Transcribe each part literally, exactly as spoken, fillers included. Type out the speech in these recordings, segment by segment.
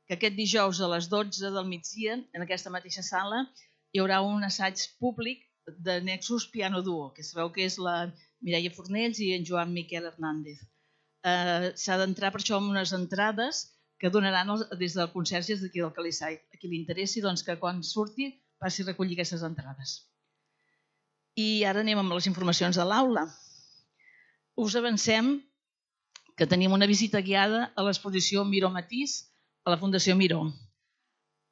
que aquest dijous a les dotze del migdia, en aquesta mateixa sala, hi haurà un assaig públic de Nexus Piano Duo, que sabeu que és la Mireia Fornells i en Joan Miquel Hernández. Eh, S'ha d'entrar per això amb unes entrades que donaran els, des del conserges d'aquí del Calissai. A qui li interessi, doncs, que quan surti passi a recollir aquestes entrades. I ara anem amb les informacions de l'aula. Us avancem que tenim una visita guiada a l'exposició Miró Matís a la Fundació Miró.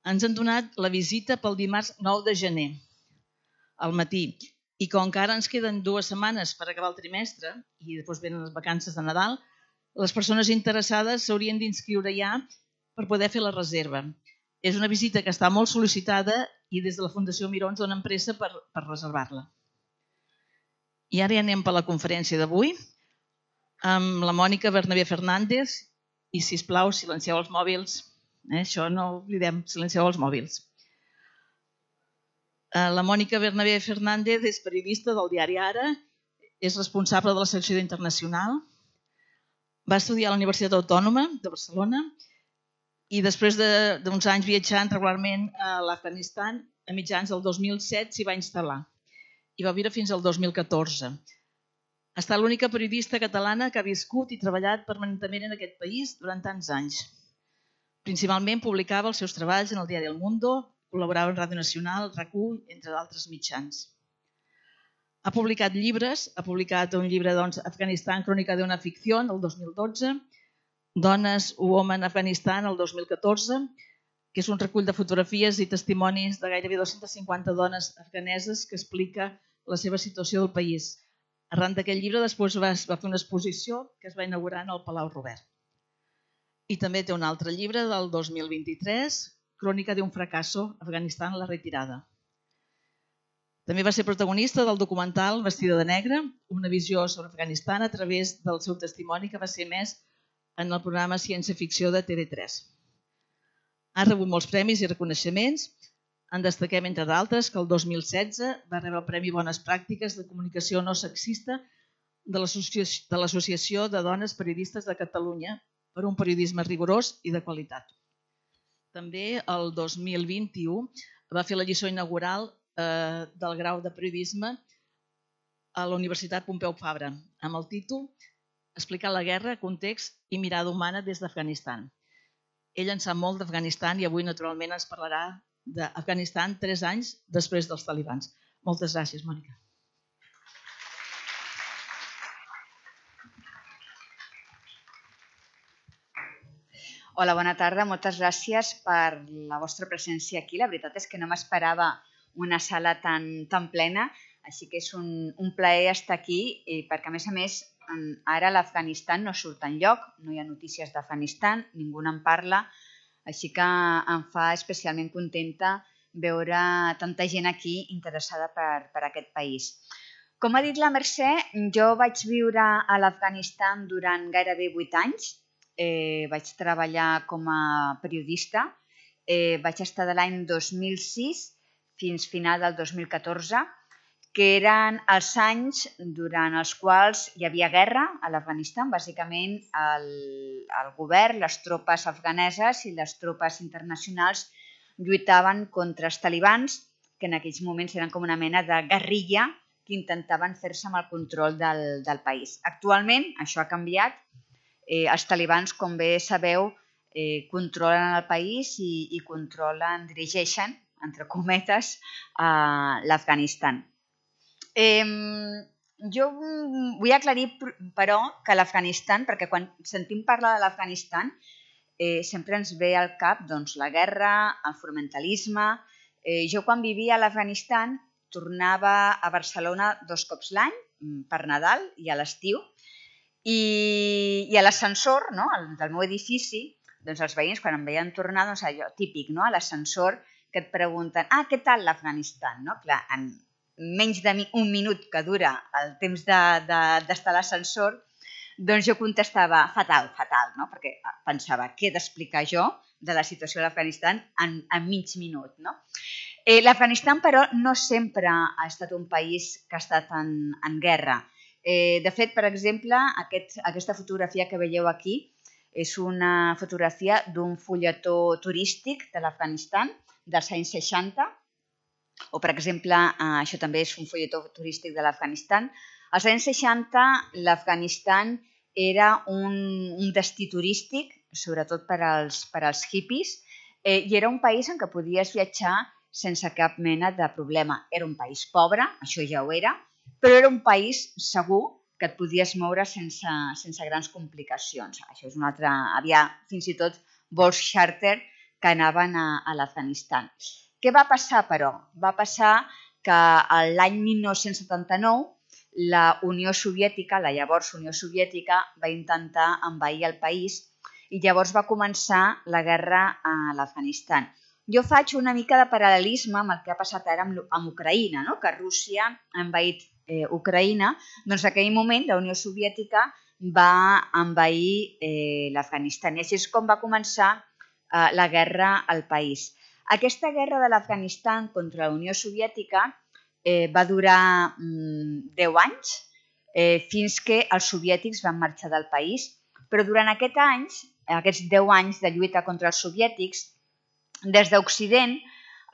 Ens han donat la visita pel dimarts nou de gener, al matí. I com que ara ens queden dues setmanes per acabar el trimestre i després venen les vacances de Nadal, les persones interessades s'haurien d'inscriure ja per poder fer la reserva. És una visita que està molt sol·licitada i des de la Fundació Miró ens donen pressa per, per reservar-la. I ara ja anem per la conferència d'avui amb la Mònica Bernabé Fernández i, sisplau, silencieu els mòbils. Eh? Això no ho oblidem, silencieu els mòbils. La Mònica Bernabé Fernández és periodista del diari Ara, és responsable de la secció d'Internacional, va estudiar a la Universitat Autònoma de Barcelona i després d'uns anys viatjant regularment a l'Afganistan, a mitjans del dos mil set s'hi va instal·lar i va viure fins al dos mil catorze. Ha estat l'única periodista catalana que ha viscut i treballat permanentment en aquest país durant tants anys. Principalment publicava els seus treballs en el diari El Mundo, col·laborava en Ràdio Nacional, RAC u, entre d'altres mitjans. Ha publicat llibres, ha publicat un llibre doncs, Afganistan, crònica d'una ficció, el dos mil dotze, Dones, Women, Afganistan, el dos mil catorze, que és un recull de fotografies i testimonis de gairebé dues-centes cinquanta dones afganeses que explica la seva situació del país. Arran d'aquest llibre després va fer una exposició que es va inaugurar en el Palau Robert. I també té un altre llibre del dos mil vint-i-tres, Crònica d'un fracasso, Afganistan, la retirada. També va ser protagonista del documental Vestida de negre, una visió sobre Afganistan a través del seu testimoni que va ser emès en el programa Ciència Ficció de T V tres. Ha rebut molts premis i reconeixements. En destaquem, entre d'altres, que el dos mil setze va rebre el Premi Bones Pràctiques de Comunicació No Sexista de l'Associació de Dones Periodistes de Catalunya per un periodisme rigorós i de qualitat. També el dos mil vint-i-u va fer la lliçó inaugural del grau de periodisme a la Universitat Pompeu Fabra, amb el títol Explicar la guerra, context i mirada humana des d'Afganistan. Ell en sap molt d'Afganistan i avui, naturalment, ens parlarà d'Afganistan tres anys després dels talibans. Moltes gràcies, Mònica. Hola, bona tarda. Moltes gràcies per la vostra presència aquí. La veritat és que no m'esperava una sala tan, tan plena, així que és un, un plaer estar aquí, perquè a més a més ara l'Afganistan no surt enlloc, no hi ha notícies d'Afganistan, ningú en parla, així que em fa especialment contenta veure tanta gent aquí interessada per, per aquest país. Com ha dit la Mercè, jo vaig viure a l'Afganistan durant gairebé vuit anys, eh, vaig treballar com a periodista, eh, vaig estar de l'any dos mil sis fins final del dos mil catorze, que eren els anys durant els quals hi havia guerra a l'Afganistan. Bàsicament, el, el govern, les tropes afganeses i les tropes internacionals lluitaven contra els talibans, que en aquells moments eren com una mena de guerrilla que intentaven fer-se amb el control del, del país. Actualment, això ha canviat. Eh, els talibans, com bé sabeu, eh, controlen el país i, i controlen, dirigeixen, entre cometes, a l'Afganistan. Eh, jo vull aclarir, però, que l'Afganistan, perquè quan sentim parlar de l'Afganistan, eh, sempre ens ve al cap doncs, la guerra, el fonamentalisme. Eh, jo quan vivia a l'Afganistan tornava a Barcelona dos cops l'any, per Nadal i a l'estiu, i, i a l'ascensor, no?, del meu edifici, doncs els veïns quan em veien tornar, doncs allò típic, no?, a l'ascensor que et pregunten, ah, què tal l'Afganistan? No? Clar, en menys d'un minut que dura el temps d'estar de, de, a l'ascensor, doncs jo contestava fatal, fatal, no? Perquè pensava, què he d'explicar jo de la situació de l'Afganistan en, en mig minut, no? Eh, L'Afganistan, però, no sempre ha estat un país que ha estat en, en guerra. Eh, de fet, per exemple, aquest, aquesta fotografia que veieu aquí És una fotografia d'un fulletó turístic de l'Afganistan dels anys seixanta, o per exemple, això també és un fulletó turístic de l'Afganistan. Als anys seixanta l'Afganistan era un, un destí turístic, sobretot per als, per als hippies, eh, i era un país en què podies viatjar sense cap mena de problema. Era un país pobre, això ja ho era, però era un país segur que et podies moure sense, sense grans complicacions. Això és un altre... Havia fins i tot vols xàrter que anaven a, a l'Afganistan. Què va passar, però? Va passar que l'any mil nou-cents setanta-nou la Unió Soviètica, la llavors Unió Soviètica, va intentar envair el país i llavors va començar la guerra a l'Afganistan. Jo faig una mica de paral·lelisme amb el que ha passat ara amb, amb Ucraïna, no? Que Rússia ha envaït eh, Ucraïna, doncs en aquell moment la Unió Soviètica va envair eh, l'Afganistan. I així és com va començar eh, la guerra al país. Aquesta guerra de l'Afganistan contra la Unió Soviètica eh, va durar mm, deu anys, eh, fins que els soviètics van marxar del país, però durant aquests anys, aquests deu anys de lluita contra els soviètics, des d'Occident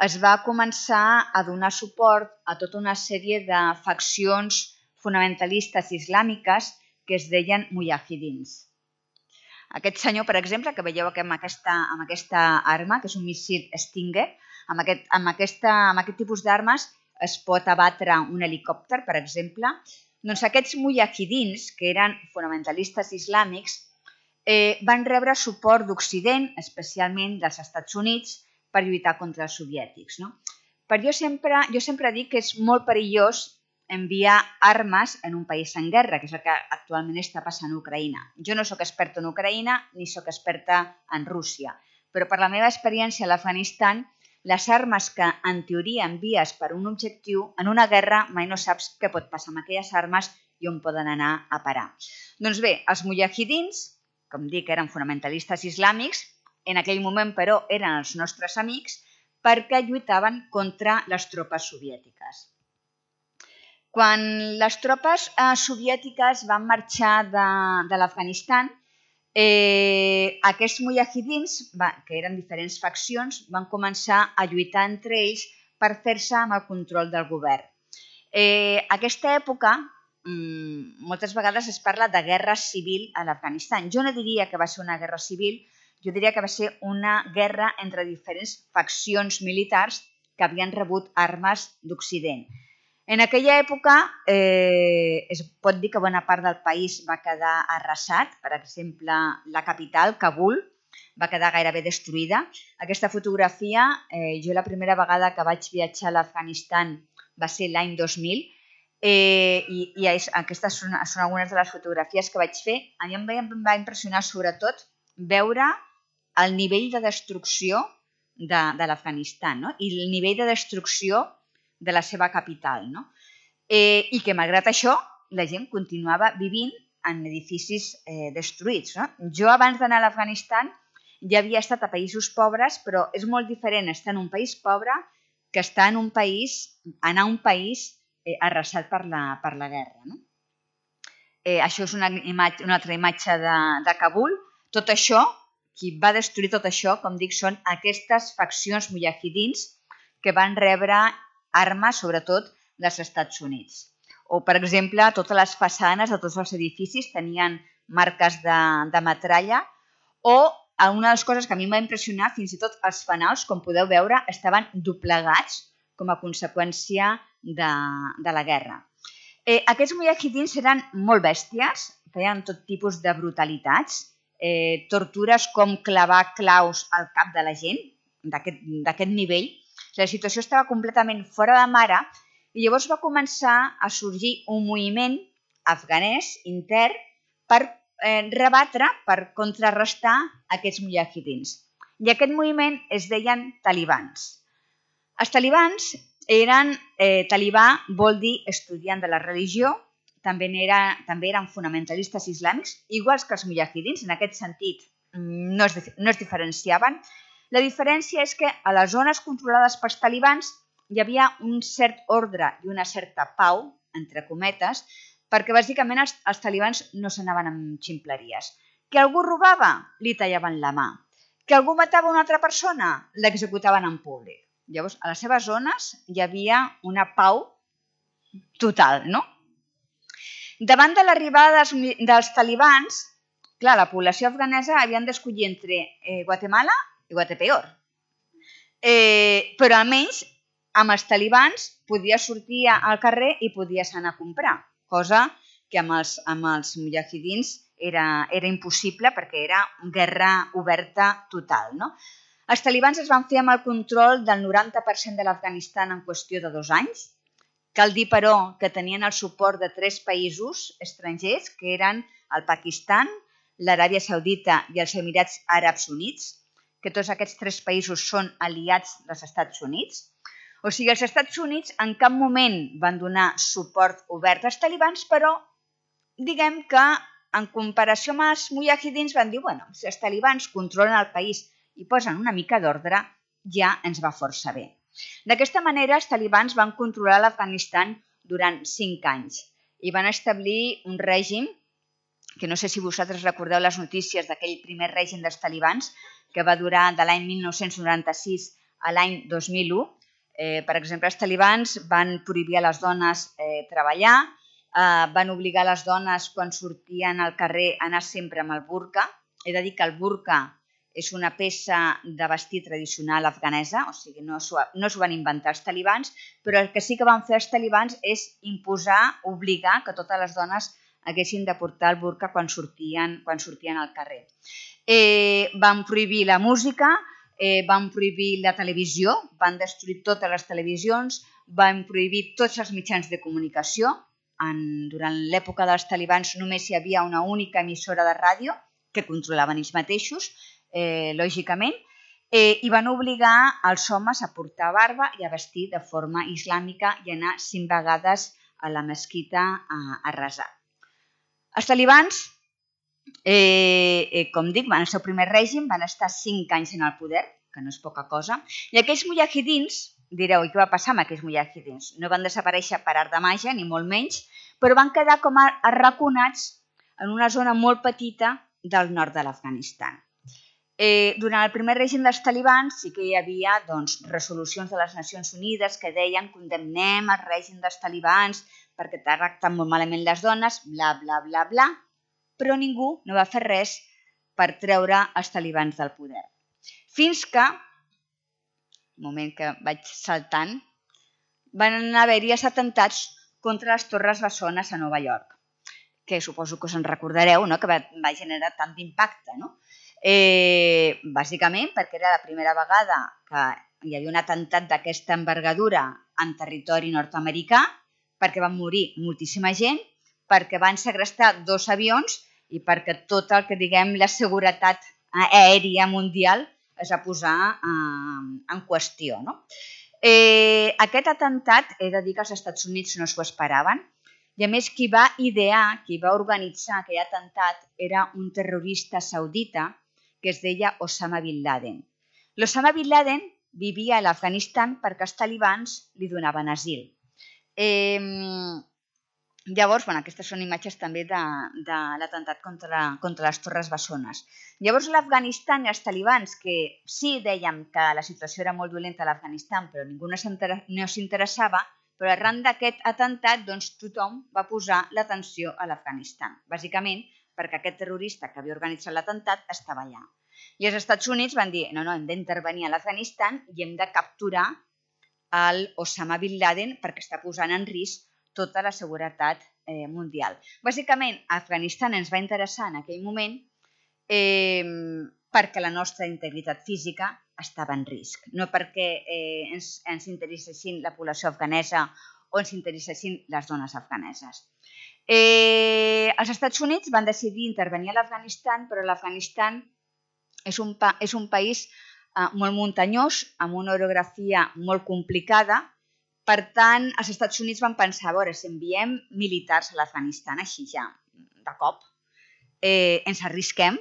es va començar a donar suport a tota una sèrie de faccions fonamentalistes islàmiques que es deien mujahidins. Aquest senyor, per exemple, que veieu aquí amb aquesta, amb aquesta arma, que és un míssil Stinger, amb aquest, amb aquesta, amb aquest tipus d'armes es pot abatre un helicòpter, per exemple. Doncs aquests mujahidins, que eren fonamentalistes islàmics, eh, van rebre suport d'Occident, especialment dels Estats Units, per lluitar contra els soviètics. No? Però jo sempre, jo sempre dic que és molt perillós enviar armes en un país en guerra, que és el que actualment està passant a Ucraïna. Jo no sóc experta en Ucraïna ni sóc experta en Rússia, però per la meva experiència a l'Afganistan, les armes que en teoria envies per un objectiu, en una guerra mai no saps què pot passar amb aquelles armes i on poden anar a parar. Doncs bé, els mujahidins, com dic, eren fonamentalistes islàmics, en aquell moment, però, eren els nostres amics perquè lluitaven contra les tropes soviètiques. Quan les tropes eh, soviètiques van marxar de, de l'Afganistan, eh, aquests mujahidins, va, que eren diferents faccions, van començar a lluitar entre ells per fer-se amb el control del govern. Eh, aquesta època, mm, moltes vegades es parla de guerra civil a l'Afganistan. Jo no diria que va ser una guerra civil, jo diria que va ser una guerra entre diferents faccions militars que havien rebut armes d'Occident. En aquella època eh, es pot dir que bona part del país va quedar arrasat. Per exemple, la capital, Kabul, va quedar gairebé destruïda. Aquesta fotografia, eh, jo la primera vegada que vaig viatjar a l'Afganistan va ser l'any dos mil, eh, i, i aquestes són, són algunes de les fotografies que vaig fer. A mi em va, em va impressionar sobretot veure el nivell de destrucció de, de l'Afganistan, no? I el nivell de destrucció de la seva capital, no? Eh, i que malgrat això la gent continuava vivint en edificis eh, destruïts. No? Jo abans d'anar a l'Afganistan ja havia estat a països pobres, però és molt diferent estar en un país pobre que estar en un país, anar a un país eh, arrasat per la, per la guerra. No? Eh, això és una, imatge, una altra imatge de, de Kabul. Tot això, qui va destruir tot això, com dic, són aquestes faccions mujahidins que van rebre armes, sobretot, dels Estats Units. O, per exemple, totes les façanes de tots els edificis tenien marques de, de metralla, o una de les coses que a mi em va impressionar, fins i tot els fanals, com podeu veure, estaven doblegats com a conseqüència de, de la guerra. Eh, aquests mujahidins eren molt bèsties, feien tot tipus de brutalitats, eh, tortures com clavar claus al cap de la gent, d'aquest nivell. La situació estava completament fora de mare i llavors va començar a sorgir un moviment afganès intern per eh, rebatre, per contrarrestar aquests mujahidins. I aquest moviment es deien talibans. Els talibans eren, eh, talibà vol dir estudiant de la religió, també, era, també eren fonamentalistes islàmics, iguals que els mujahidins, en aquest sentit no es, no es diferenciaven. La diferència és que a les zones controlades pels talibans hi havia un cert ordre i una certa pau, entre cometes, perquè bàsicament els, els talibans no s'anaven amb ximpleries. Que algú robava, li tallaven la mà. Que algú matava una altra persona, l'executaven en públic. Llavors, a les seves zones hi havia una pau total, no? Davant de l'arribada dels, dels talibans, clar, la població afganesa havien d'escollir entre eh, Guatemala i Guatepeor. Eh, però almenys amb els talibans podia sortir al carrer i podies anar a comprar, cosa que amb els, amb els mujahidins era, era impossible perquè era guerra oberta total, no? Els talibans es van fer amb el control del noranta per cent de l'Afganistan en qüestió de dos anys. Cal dir, però, que tenien el suport de tres països estrangers, que eren el Pakistan, l'Aràbia Saudita i els Emirats Àrabs Units, que tots aquests tres països són aliats dels Estats Units. O sigui, els Estats Units en cap moment van donar suport obert als talibans, però diguem que en comparació amb els mujahidins van dir, bueno, si els talibans controlen el país i posen una mica d'ordre, ja ens va força bé. D'aquesta manera, els talibans van controlar l'Afganistan durant cinc anys i van establir un règim, que no sé si vosaltres recordeu les notícies d'aquell primer règim dels talibans, que va durar de l'any mil nou-cents noranta-sis a l'any dos mil u. Eh, per exemple, els talibans van prohibir a les dones eh, treballar, eh, van obligar les dones quan sortien al carrer a anar sempre amb el burca. He de dir que el burca és una peça de vestir tradicional afganesa, o sigui, no s'ho no s'ho van inventar els talibans, però el que sí que van fer els talibans és imposar, obligar que totes les dones haguessin de portar el burca quan sortien, quan sortien al carrer. Eh, van prohibir la música, eh, van prohibir la televisió, van destruir totes les televisions, van prohibir tots els mitjans de comunicació. En, durant l'època dels talibans només hi havia una única emissora de ràdio que controlaven ells mateixos, eh, lògicament, eh, i van obligar els homes a portar barba i a vestir de forma islàmica i anar cinc vegades a la mesquita a, a resar. Els talibans, eh, eh, com dic, en el seu primer règim van estar cinc anys en el poder, que no és poca cosa, i aquells mujahidins, direu, i què va passar amb aquells mujahidins? No van desaparèixer per art de màgia, ni molt menys, però van quedar com a arraconats en una zona molt petita del nord de l'Afganistan. Eh, durant el primer règim dels talibans sí que hi havia doncs, resolucions de les Nacions Unides que deien condemnem el règim dels talibans perquè tracten molt malament les dones, bla, bla, bla, bla, però ningú no va fer res per treure els talibans del poder. Fins que, un moment que vaig saltant, van haver-hi els atemptats contra les Torres Bessones a Nova York, que suposo que us en recordareu, no? Que va, va generar tant d'impacte, no? Eh, bàsicament perquè era la primera vegada que hi havia un atemptat d'aquesta envergadura en territori nord-americà, perquè van morir moltíssima gent, perquè van segrestar dos avions i perquè tot el que diguem la seguretat aèria mundial es va posar eh, en qüestió. No? Eh, aquest atemptat, he de dir que els Estats Units no s'ho esperaven, i a més qui va idear, qui va organitzar aquell atemptat era un terrorista saudita que es deia Osama Bin Laden. L'Osama Bin Laden vivia a l'Afganistan perquè els talibans li donaven asil. Eh, llavors, bueno, aquestes són imatges també de, de l'atemptat contra, contra les Torres Bessones. Llavors l'Afganistan i els talibans, que sí dèiem que la situació era molt dolenta a l'Afganistan, però ningú no s'interessava, però arran d'aquest atemptat doncs, tothom va posar l'atenció a l'Afganistan. Bàsicament, perquè aquest terrorista que havia organitzat l'atemptat estava allà. I els Estats Units van dir, no, no, hem d'intervenir a l'Afganistan i hem de capturar el Osama Bin Laden perquè està posant en risc tota la seguretat eh, mundial. Bàsicament, Afganistan ens va interessar en aquell moment eh, perquè la nostra integritat física estava en risc, no perquè eh, ens, ens interessessin la població afganesa o ens interessessin les dones afganeses. Eh, els Estats Units van decidir intervenir a l'Afganistan, però l'Afganistan és, un pa és un país eh, molt muntanyós, amb una orografia molt complicada. Per tant, els Estats Units van pensar, a veure, si enviem militars a l'Afganistan, així ja, de cop, eh, ens arrisquem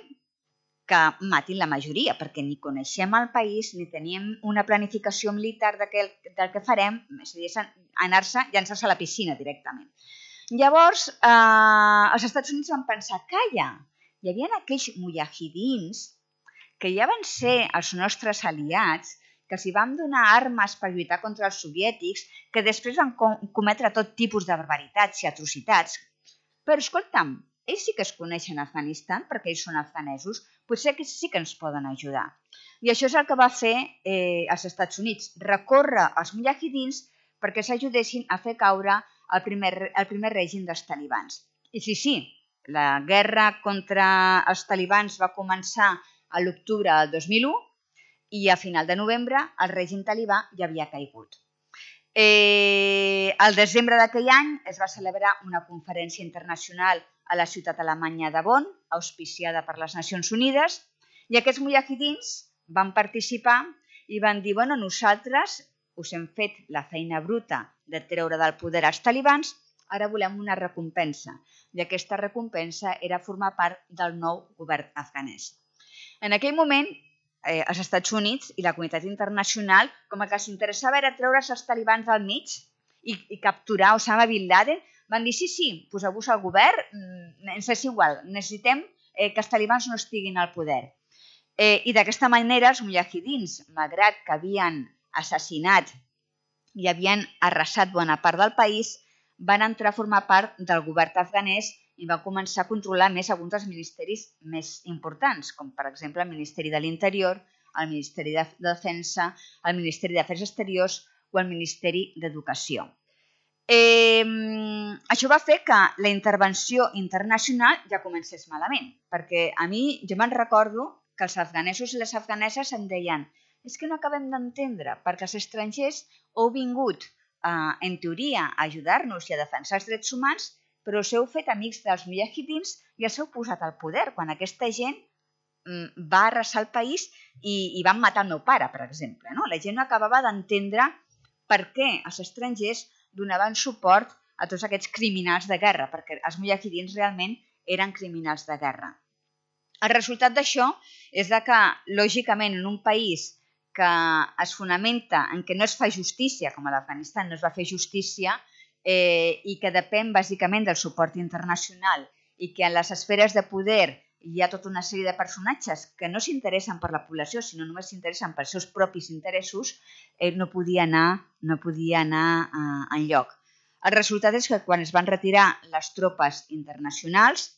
que matin la majoria, perquè ni coneixem el país, ni teníem una planificació militar del que, del que farem, és a dir, anar-se, llançar-se a la piscina directament. Llavors, eh, els Estats Units van pensar, calla, hi havia aquells mujahidins que ja van ser els nostres aliats, que els hi vam donar armes per lluitar contra els soviètics, que després van cometre tot tipus de barbaritats i atrocitats. Però, escolta'm, ells sí que es coneixen a Afganistan perquè ells són afganesos, potser que sí que ens poden ajudar. I això és el que va fer eh, els Estats Units, recórrer als mujahidins perquè s'ajudessin a fer caure el primer, el primer règim dels talibans. I sí, sí, la guerra contra els talibans va començar a l'octubre del dos mil u i a final de novembre el règim talibà ja havia caigut. Eh, al desembre d'aquell any es va celebrar una conferència internacional a la ciutat alemanya de Bonn, auspiciada per les Nacions Unides, i aquests mujahidins van participar i van dir, bueno, nosaltres us hem fet la feina bruta de treure del poder als talibans, ara volem una recompensa. I aquesta recompensa era formar part del nou govern afganès. En aquell moment, eh, els Estats Units i la comunitat internacional, com que s'interessava era treure's els talibans del mig i, i capturar Osama Bin Laden, van dir, sí, sí, poseu-vos al govern, ens és igual, necessitem eh, que els talibans no estiguin al poder. Eh, I d'aquesta manera, els mujahidins, malgrat que havien assassinat i havien arrasat bona part del país, van entrar a formar part del govern afganès i va començar a controlar més alguns dels ministeris més importants, com per exemple el Ministeri de l'Interior, el Ministeri de Defensa, el Ministeri d'Afers Exteriors o el Ministeri d'Educació. Eh, això va fer que la intervenció internacional ja comencés malament, perquè a mi, jo me'n recordo que els afganesos i les afganeses em deien és que no acabem d'entendre, perquè els estrangers heu vingut, eh, en teoria, a ajudar-nos i a defensar els drets humans, però us heu fet amics dels mujahidins i els heu posat al poder, quan aquesta gent va arrasar el país i, i van matar el meu pare, per exemple. No? La gent no acabava d'entendre per què els estrangers donaven suport a tots aquests criminals de guerra, perquè els mujahidins realment eren criminals de guerra. El resultat d'això és que, lògicament, en un país que es fonamenta en què no es fa justícia, com a l'Afganistan no es va fer justícia, eh, i que depèn bàsicament del suport internacional i que en les esferes de poder hi ha tota una sèrie de personatges que no s'interessen per la població, sinó només s'interessen pels seus propis interessos, eh, no podia anar, no podia anar eh, enlloc. El resultat és que quan es van retirar les tropes internacionals,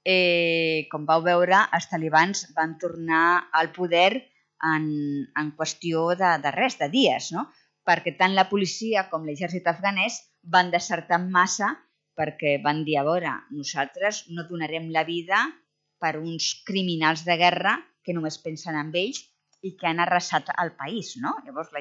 eh, com vau veure, els talibans van tornar al poder en, en qüestió de, de res, de dies, no? Perquè tant la policia com l'exèrcit afganès van desertar en massa perquè van dir, a veure, nosaltres no donarem la vida per uns criminals de guerra que només pensen en ells i que han arrasat el país. No? Llavors,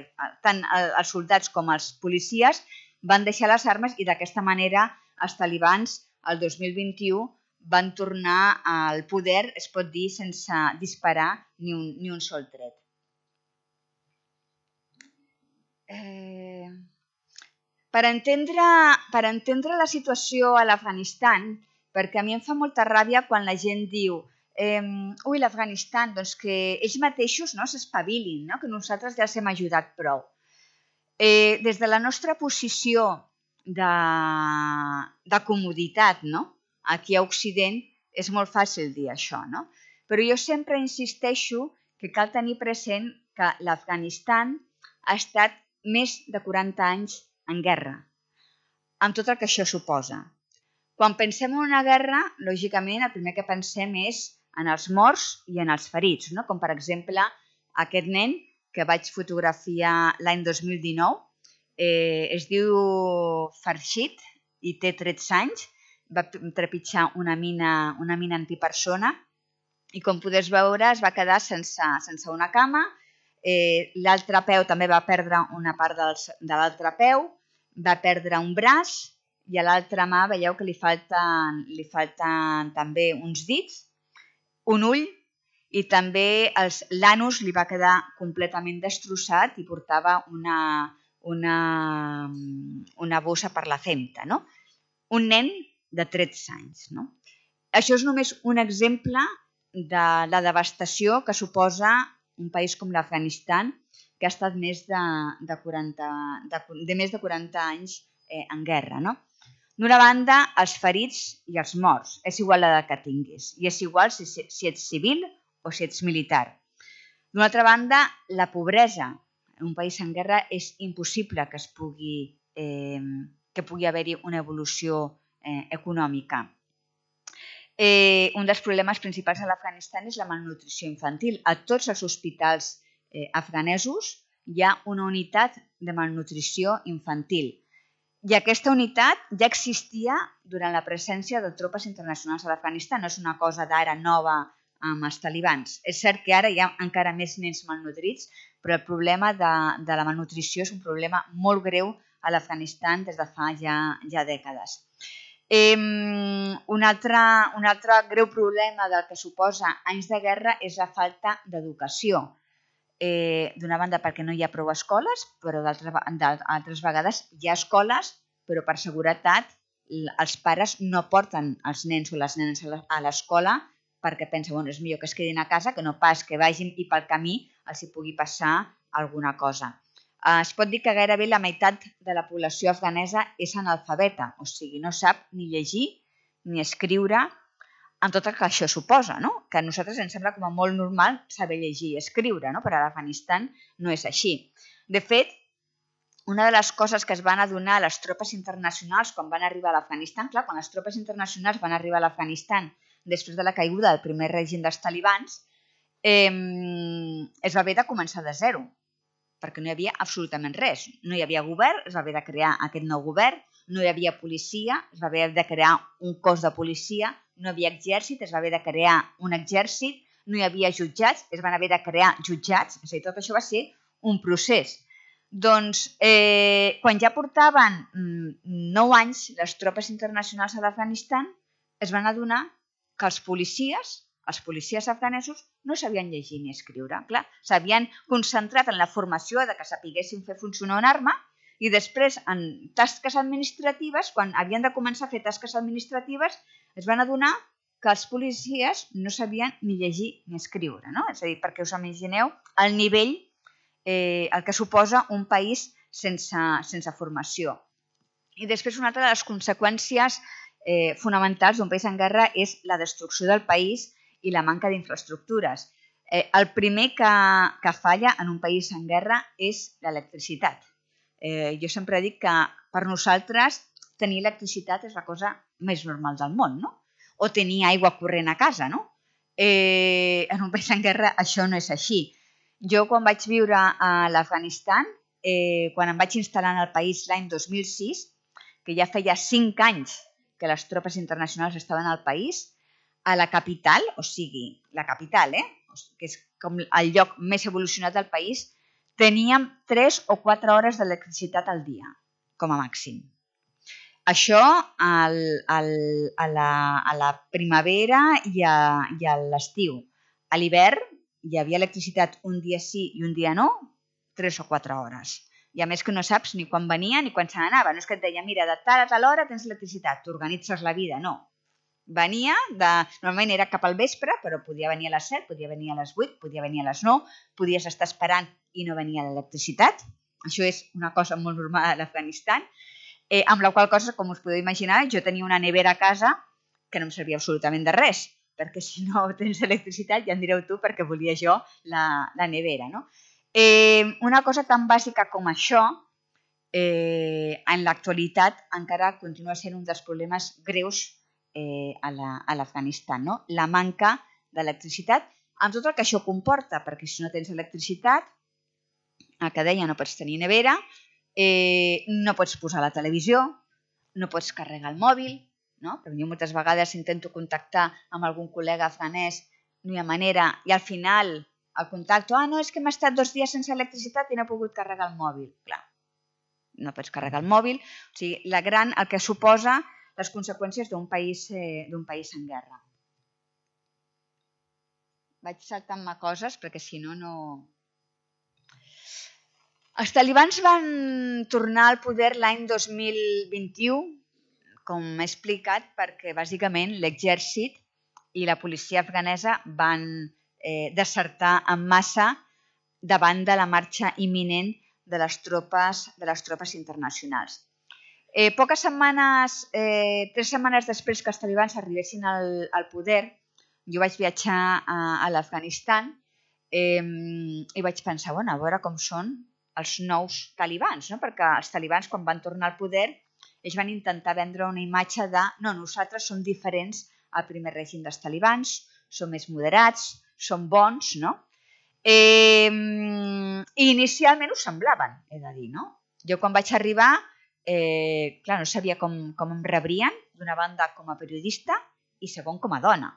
tant els soldats com els policies van deixar les armes i d'aquesta manera els talibans el dos mil vint-i-u van tornar al poder, es pot dir, sense disparar ni un, ni un sol tret. Eh... Per entendre, per entendre la situació a l'Afganistan, perquè a mi em fa molta ràbia quan la gent diu eh, ui, l'Afganistan, doncs que ells mateixos no, s'espavilin, no? Que nosaltres ja els hem ajudat prou. Eh, des de la nostra posició de, de comoditat, no? Aquí a Occident és molt fàcil dir això, no? Però jo sempre insisteixo que cal tenir present que l'Afganistan ha estat més de quaranta anys en guerra, amb tot el que això suposa. Quan pensem en una guerra, lògicament, el primer que pensem és en els morts i en els ferits, no? Com per exemple aquest nen que vaig fotografiar l'any dos mil dinou, eh, es diu Farshid i té tretze anys, va trepitjar una mina, una mina antipersona i com podeu veure es va quedar sense, sense una cama, eh, l'altre peu també va perdre una part dels, de l'altre peu, va perdre un braç i a l'altra mà veieu que li falten, li falten també uns dits, un ull i també l'anus li va quedar completament destrossat i portava una, una, una bossa per la femta. No? Un nen de tretze anys. No? Això és només un exemple de la devastació que suposa un país com l'Afganistan, que ha estat més de, de, quaranta, de, de més de quaranta anys eh, en guerra. No? D'una banda, els ferits i els morts. És igual l'edat que tinguis. I és igual si, si ets civil o si ets militar. D'una altra banda, la pobresa. En un país en guerra és impossible que es pugui, eh, que pugui haver-hi una evolució eh, econòmica. Eh, un dels problemes principals a l'Afganistan és la malnutrició infantil. A tots els hospitals eh, afganesos hi ha una unitat de malnutrició infantil. I aquesta unitat ja existia durant la presència de tropes internacionals a l'Afganistan. No és una cosa d'ara nova amb els talibans. És cert que ara hi ha encara més nens malnutrits, però el problema de, de la malnutrició és un problema molt greu a l'Afganistan des de fa ja, ja dècades. Eh, un, altre, un altre greu problema del que suposa anys de guerra és la falta d'educació. Eh, d'una banda perquè no hi ha prou escoles, però d'altres vegades hi ha escoles, però per seguretat els pares no porten els nens o les nenes a l'escola perquè pensen, bueno, és millor que es quedin a casa que no pas que vagin i pel camí els hi pugui passar alguna cosa. Eh, es pot dir que gairebé la meitat de la població afganesa és analfabeta, o sigui, no sap ni llegir ni escriure, amb tot el que això suposa, no? Que a nosaltres ens sembla com a molt normal saber llegir i escriure, no? Però a l'Afganistan no és així. De fet, una de les coses que es van adonar les tropes internacionals quan van arribar a l'Afganistan, clar, quan les tropes internacionals van arribar a l'Afganistan després de la caiguda del primer règim dels talibans, eh, es va haver de començar de zero, perquè no hi havia absolutament res. No hi havia govern, es va haver de crear aquest nou govern, no hi havia policia, es va haver de crear un cos de policia, no hi havia exèrcit, es va haver de crear un exèrcit, no hi havia jutjats, es van haver de crear jutjats, és a dir, tot això va ser un procés. Doncs eh, quan ja portaven nou anys les tropes internacionals a l'Afganistan, es van adonar que els policies, els policies afganesos, no sabien llegir ni escriure. Clar, s'havien concentrat en la formació de que sapiguessin fer funcionar una arma i després en tasques administratives, quan havien de començar a fer tasques administratives, es van adonar que els policies no sabien ni llegir ni escriure, no? És a dir, perquè us imagineu el nivell, eh, el que suposa un país sense, sense formació. I després una altra de les conseqüències eh, fonamentals d'un país en guerra és la destrucció del país i la manca d'infraestructures. Eh, el primer que, que falla en un país en guerra és l'electricitat. Eh, jo sempre dic que per nosaltres tenir electricitat és la cosa més normal del món, no? O tenir aigua corrent a casa, no? Eh, en un país en guerra això no és així. Jo quan vaig viure a l'Afganistan, eh, quan em vaig instal·lar en el país l'any dos mil sis, que ja feia cinc anys que les tropes internacionals estaven al país, a la capital, o sigui, la capital, eh? que és com el lloc més evolucionat del país, teníem tres o quatre hores d'electricitat al dia, com a màxim. Això al, al, a, la, a la primavera i a, i a l'estiu. A l'hivern hi havia electricitat un dia sí i un dia no, tres o quatre hores. I a més que no saps ni quan venia ni quan se n'anava. No és que et deia, mira, de tal a tal hora tens electricitat, t'organitzes la vida, no. Venia, de, normalment era cap al vespre, però podia venir a les set, podia venir a les vuit, podia venir a les nou, podies estar esperant i no venia l'electricitat. Això és una cosa molt normal a l'Afganistan, eh, amb la qual cosa, com us podeu imaginar, jo tenia una nevera a casa que no em servia absolutament de res, perquè si no tens electricitat ja em direu tu perquè volia jo la, la nevera. No? Eh, una cosa tan bàsica com això, eh, en l'actualitat encara continua sent un dels problemes greus Eh, a l'Afganistan, la, no? La manca d'electricitat, amb tot el que això comporta, perquè si no tens electricitat, el que deia, no pots tenir nevera, eh, no pots posar la televisió, no pots carregar el mòbil, no? Perquè jo moltes vegades intento contactar amb algun col·lega afganès, no hi ha manera, i al final el contacto, ah, no, és que hem estat dos dies sense electricitat i no he pogut carregar el mòbil. Clar, no pots carregar el mòbil, o sigui, la gran, el que suposa les conseqüències d'un país, eh, d'un país en guerra. Vaig saltant-me coses perquè si no, no... Els talibans van tornar al poder l'any dos mil vint-i-u, com he explicat, perquè bàsicament l'exèrcit i la policia afganesa van eh, desertar en massa davant de la marxa imminent de les tropes, de les tropes internacionals. Eh, poques setmanes, eh, tres setmanes després que els talibans arribessin al, al poder, jo vaig viatjar a, a l'Afganistan eh, i vaig pensar, bueno, a veure com són els nous talibans, no? Perquè els talibans, quan van tornar al poder, ells van intentar vendre una imatge de no, nosaltres som diferents al primer règim dels talibans, som més moderats, som bons, no? Eh, I inicialment ho semblaven, he de dir, no? Jo quan vaig arribar, eh, clar, no sabia com, com em rebrien, d'una banda com a periodista i segon com a dona.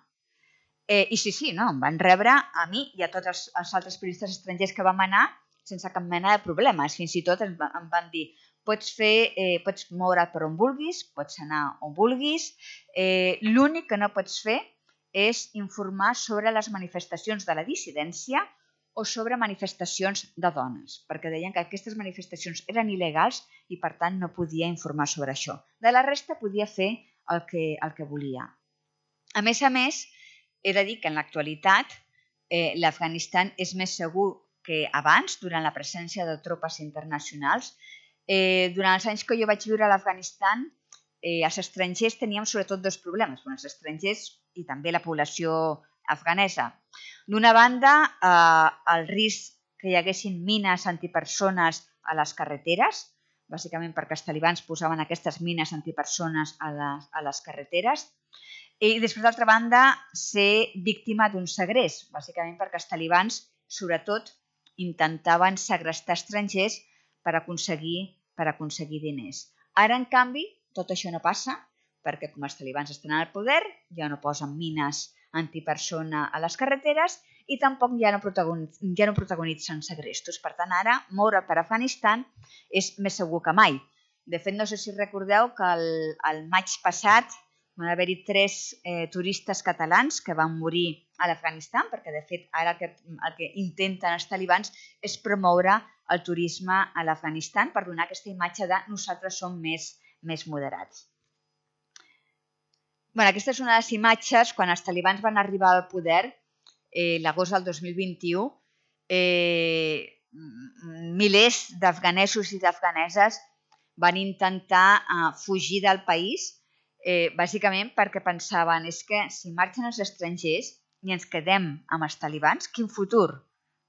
Eh, I sí, sí, no, em van rebre a mi i a tots els, els altres periodistes estrangers que vam anar sense cap mena de problemes. Fins i tot em, em van dir, pots fer, eh, pots moure't per on vulguis, pots anar on vulguis, eh, l'únic que no pots fer és informar sobre les manifestacions de la dissidència o sobre manifestacions de dones, perquè deien que aquestes manifestacions eren il·legals i per tant no podia informar sobre això. De la resta podia fer el que, el que volia. A més a més, he de dir que en l'actualitat eh, l'Afganistan és més segur que abans, durant la presència de tropes internacionals. Eh, durant els anys que jo vaig viure a l'Afganistan, eh, els estrangers teníem sobretot dos problemes, bueno, els estrangers i també la població afganesa. D'una banda, eh, el risc que hi haguessin mines antipersones a les carreteres, bàsicament perquè els talibans posaven aquestes mines antipersones a les, a les carreteres, i després, d'altra banda, ser víctima d'un segrest, bàsicament perquè els talibans, sobretot, intentaven segrestar estrangers per aconseguir, per aconseguir diners. Ara, en canvi, tot això no passa, perquè com els talibans estan al poder, ja no posen mines antipersona a les carreteres i tampoc ja no, protagonitzen, ja no protagonitzen segrestos. Per tant, ara, moure per Afganistan és més segur que mai. De fet, no sé si recordeu que el, el maig passat van haver-hi tres eh, turistes catalans que van morir a l'Afganistan, perquè de fet ara el que, el que intenten els talibans és promoure el turisme a l'Afganistan per donar aquesta imatge de nosaltres som més, més moderats. Bueno, aquesta és una de les imatges quan els talibans van arribar al poder, eh, l'agost del dos mil vint-i-u, eh, milers d'afganesos i d'afganeses van intentar eh, fugir del país, eh, bàsicament perquè pensaven és que si marxen els estrangers i ens quedem amb els talibans, quin futur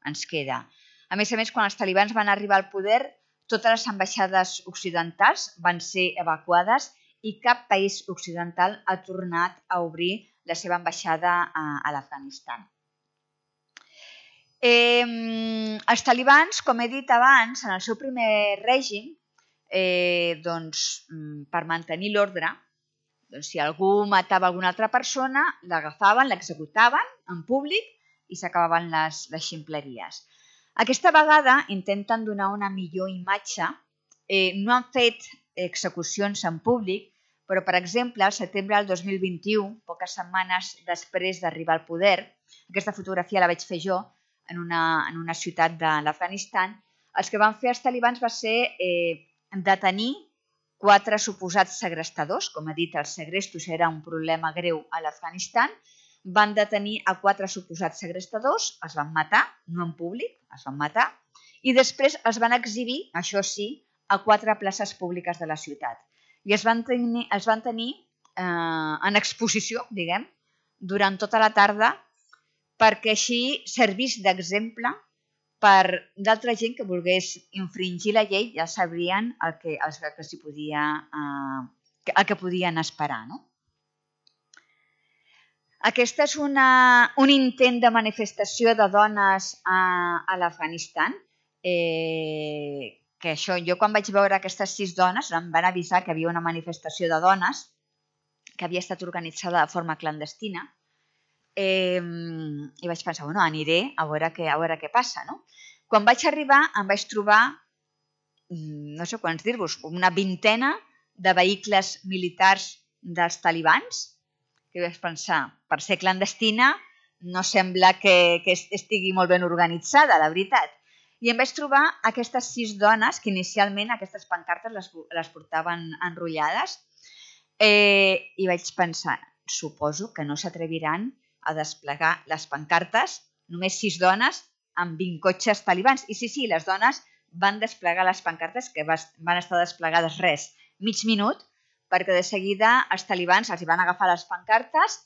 ens queda? A més a més, quan els talibans van arribar al poder, totes les ambaixades occidentals van ser evacuades i cap país occidental ha tornat a obrir la seva ambaixada a, a l'Afganistan. Eh, els talibans, com he dit abans, en el seu primer règim, eh, doncs, per mantenir l'ordre, doncs, si algú matava alguna altra persona, l'agafaven, l'executaven en públic i s'acabaven les, les ximpleries. Aquesta vegada intenten donar una millor imatge. Eh, no han fet execucions en públic, però, per exemple, al setembre del dos mil vint-i-u, poques setmanes després d'arribar al poder, aquesta fotografia la vaig fer jo en una, en una ciutat de l'Afganistan, els que van fer els talibans va ser eh, detenir quatre suposats segrestadors. Com he dit, els segrestos era un problema greu a l'Afganistan. Van detenir a quatre suposats segrestadors, els van matar, no en públic, els van matar, i després els van exhibir, això sí, a quatre places públiques de la ciutat. I els van tenir, els van tenir eh, en exposició, diguem, durant tota la tarda, perquè així servís d'exemple per d'altra gent que volgués infringir la llei, ja sabrien el que, el que, s'hi podia, eh, el que podien esperar, no? Aquest és una, un intent de manifestació de dones a, a l'Afganistan, eh, que això, jo quan vaig veure aquestes sis dones, em van avisar que hi havia una manifestació de dones que havia estat organitzada de forma clandestina, eh, i vaig pensar, bueno, aniré a veure què, a veure què passa, no? Quan vaig arribar em vaig trobar, no sé quants dir-vos, una vintena de vehicles militars dels talibans, que vaig pensar, per ser clandestina no sembla que, que estigui molt ben organitzada, la veritat. I em vaig trobar aquestes sis dones, que inicialment aquestes pancartes les, les portaven enrotllades, eh, i vaig pensar, suposo que no s'atreviran a desplegar les pancartes, només sis dones amb vint cotxes talibans. I sí, sí, les dones van desplegar les pancartes, que van estar desplegades res, mig minut, perquè de seguida els talibans els van agafar les pancartes,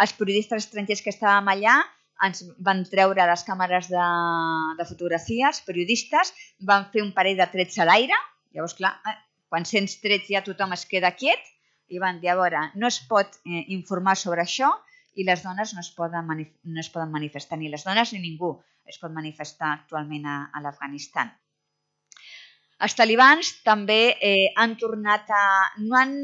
els periodistes estrangers que estàvem allà ens van treure les càmeres de, de fotografia, els periodistes van fer un parell de trets a l'aire, llavors clar, eh, quan sents trets ja tothom es queda quiet, i van dir, a veure, no es pot eh, informar sobre això i les dones no es, poden manif no es poden manifestar, ni les dones ni ningú es pot manifestar actualment a, a l'Afganistan. Els talibans també eh, han tornat a... no han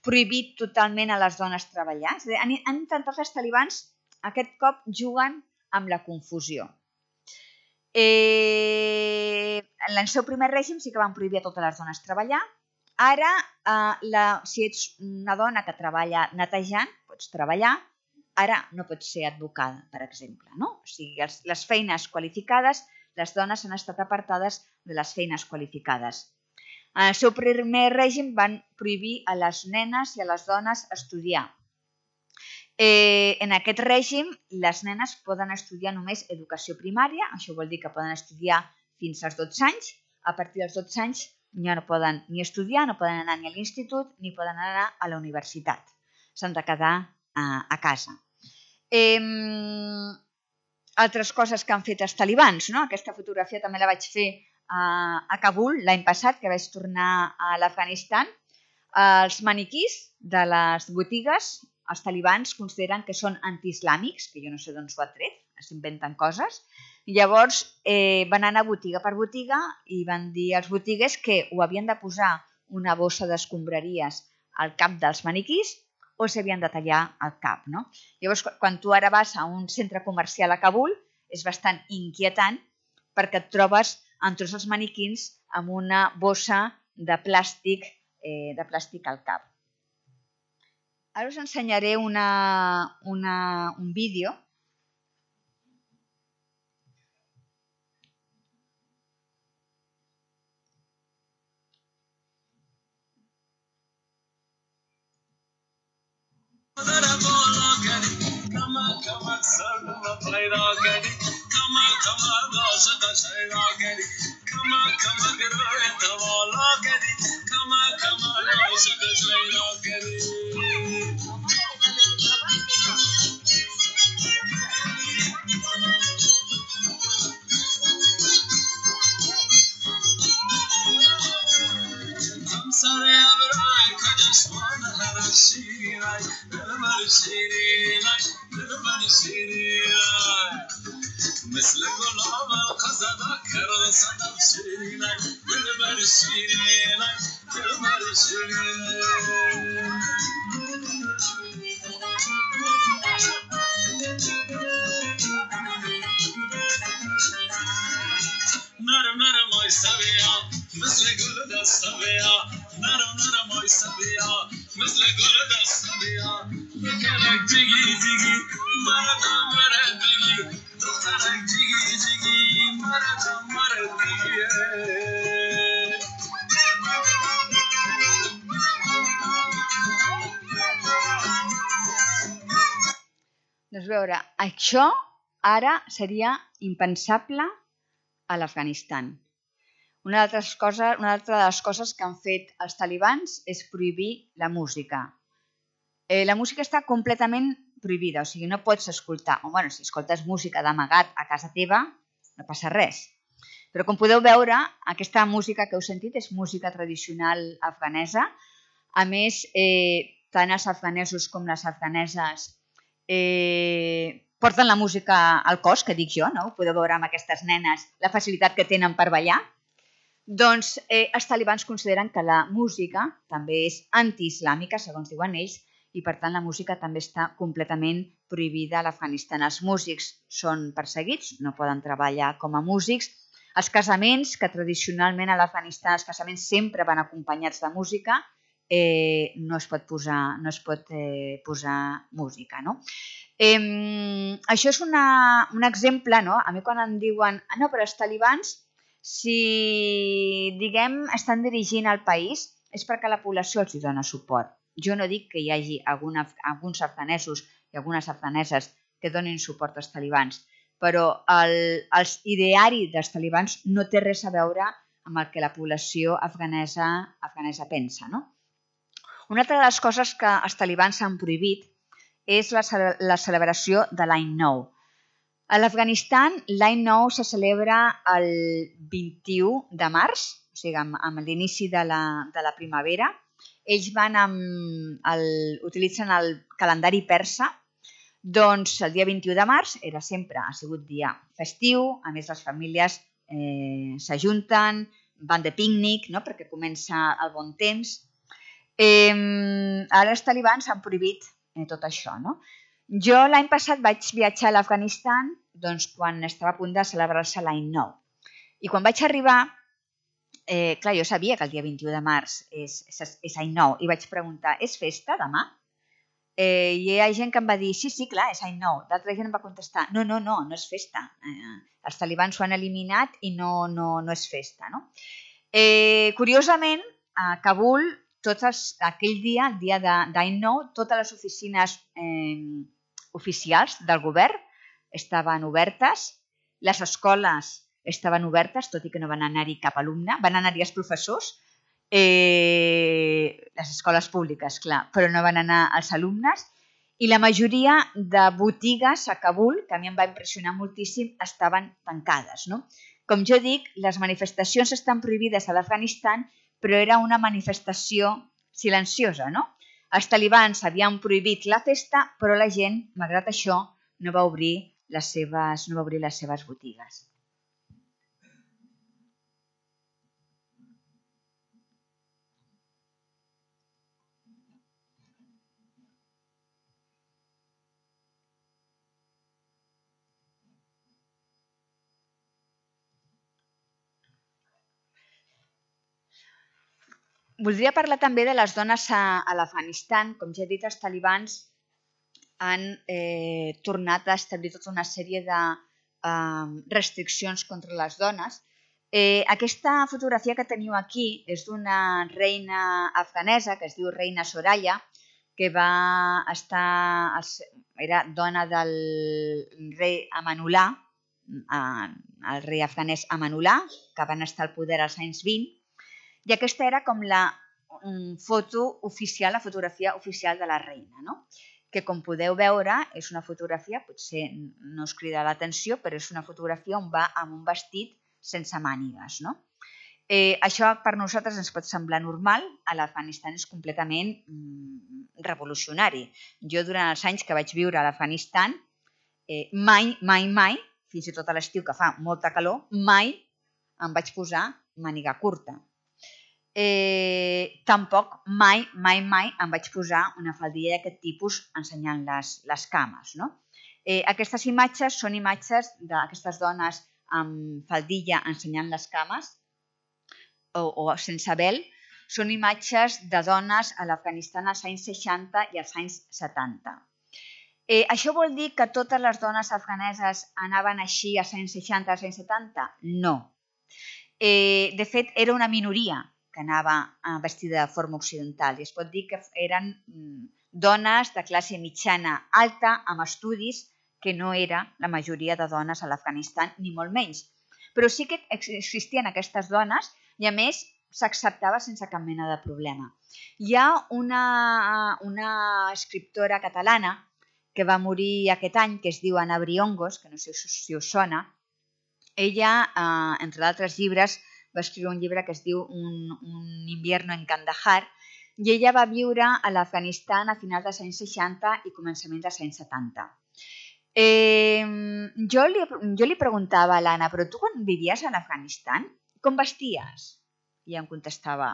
prohibit totalment a les dones treballar, és a dir, han, han intentat els talibans aquest cop juguen amb la confusió. Eh, en el seu primer règim sí que van prohibir a totes les dones treballar. Ara, eh, la, si ets una dona que treballa netejant, pots treballar. Ara no pots ser advocada, per exemple. No? O sigui, els, les feines qualificades, les dones han estat apartades de les feines qualificades. En el seu primer règim van prohibir a les nenes i a les dones estudiar. Eh, en aquest règim, les nenes poden estudiar només educació primària, això vol dir que poden estudiar fins als dotze anys. A partir dels dotze anys ja no poden ni estudiar, no poden anar ni a l'institut ni poden anar a la universitat. S'han de quedar a, a casa. Eh, altres coses que han fet els talibans, no? Aquesta fotografia també la vaig fer a, a Kabul l'any passat, que vaig tornar a l'Afganistan. Els maniquís de les botigues, els talibans consideren que són antiislàmics, que jo no sé d'on s'ho ha tret, s'inventen coses. Llavors eh, van anar botiga per botiga i van dir als botiguers que ho havien de posar una bossa d'escombraries al cap dels maniquís o s'havien de tallar el cap. No? Llavors, quan tu ara vas a un centre comercial a Kabul, és bastant inquietant perquè et trobes amb tots els maniquins amb una bossa de plàstic, eh, de plàstic al cap. Ara us ensenyaré una, una, un vídeo. Doncs veure, això ara seria impensable a l'Afganistan. Una altra cosa, una altra de les coses que han fet els talibans és prohibir la música. Eh, la música està completament prohibida, o sigui, no pots escoltar, o bueno, si escoltes música d'amagat a casa teva, no passa res. Però com podeu veure, aquesta música que heu sentit és música tradicional afganesa. A més, eh, tant els afganesos com les afganeses eh, porten la música al cos, que dic jo, no? Podeu veure amb aquestes nenes la facilitat que tenen per ballar. Doncs eh, els talibans consideren que la música també és antiislàmica, segons diuen ells, i per tant la música també està completament prohibida a l'Afganistan. Els músics són perseguits, no poden treballar com a músics. Els casaments, que tradicionalment a l'Afganistan els casaments sempre van acompanyats de música, eh, no es pot posar, no es pot, eh, posar música. No? Eh, això és una, un exemple, no? A mi quan em diuen ah, no, però els talibans, si diguem estan dirigint el país, és perquè la població els dona suport. Jo no dic que hi hagi alguna, alguns afganesos i algunes afganeses que donin suport als talibans, però el, el ideari dels talibans no té res a veure amb el que la població afganesa, afganesa pensa. No? Una altra de les coses que els talibans han prohibit és la, la celebració de l'any nou. A l'Afganistan l'any nou se celebra el vint-i-u de març, o sigui, amb, amb l'inici de, la, de la primavera. Ells van amb el, utilitzen el calendari persa. Doncs el dia vint-i-u de març era sempre, ha sigut dia festiu, a més les famílies eh, s'ajunten, van de pícnic, no?, perquè comença el bon temps. Eh, ara els talibans han prohibit eh, tot això, no? Jo l'any passat vaig viatjar a l'Afganistan doncs, quan estava a punt de celebrar-se l'any nou. I quan vaig arribar, eh, clar, jo sabia que el dia vint-i-u de març és, és, és any nou i vaig preguntar, és festa demà? Eh, I hi ha gent que em va dir, sí, sí, clar, és any nou. D'altra gent em va contestar, no, no, no, no és festa. Eh, els talibans ho han eliminat i no, no, no és festa, no? Eh, curiosament, a Kabul, tots els, aquell dia, el dia d'any nou, totes les oficines eh, oficials del govern estaven obertes, les escoles estaven obertes, tot i que no van anar-hi cap alumne, van anar-hi els professors, eh, les escoles públiques, clar, però no van anar els alumnes, i la majoria de botigues a Kabul, que a mi em va impressionar moltíssim, estaven tancades, no? Com jo dic, les manifestacions estan prohibides a l'Afganistan, però era una manifestació silenciosa, no? Els talibans havien prohibit la festa, però la gent, malgrat això, no va obrir les seves, no va obrir les seves botigues. Voldria parlar també de les dones a, a l'Afganistan. Com ja he dit, els talibans han eh, tornat a establir tota una sèrie de eh, restriccions contra les dones. Eh, aquesta fotografia que teniu aquí és d'una reina afganesa que es diu Reina Soraya, que va estar, era dona del rei Amanullah, el rei afganès Amanullah, que van estar al poder als anys vint, i aquesta era com la foto oficial, la fotografia oficial de la reina, no? Que com podeu veure és una fotografia, potser no us crida l'atenció, però és una fotografia on va amb un vestit sense mànigues, no? Eh, això per nosaltres ens pot semblar normal, a l'Afganistan és completament mm, revolucionari. Jo durant els anys que vaig viure a l'Afganistan, eh, mai, mai, mai, fins i tot a l'estiu que fa molta calor, mai em vaig posar màniga curta. Eh, tampoc mai, mai, mai em vaig posar una faldilla d'aquest tipus ensenyant les, les cames, no? Eh, aquestes imatges són imatges d'aquestes dones amb faldilla ensenyant les cames o, o sense vel, són imatges de dones a l'Afganistan als anys seixanta i als anys setanta. Eh, això vol dir que totes les dones afganeses anaven així als anys seixanta, als anys setanta? No. Eh, de fet, era una minoria que anava vestida de forma occidental i es pot dir que eren dones de classe mitjana alta amb estudis, que no era la majoria de dones a l'Afganistan, ni molt menys. Però sí que existien aquestes dones i a més s'acceptava sense cap mena de problema. Hi ha una, una escriptora catalana que va morir aquest any, que es diu Ana Briongos, que no sé si us sona. Ella, eh, entre d'altres llibres, va escriure un llibre que es diu Un, un invierno en Kandahar i ella va viure a l'Afganistan a finals dels anys seixanta i començaments dels anys setanta. Eh, jo, li, jo li preguntava a l'Anna, però tu quan vivies a l'Afganistan, com vesties? I em contestava,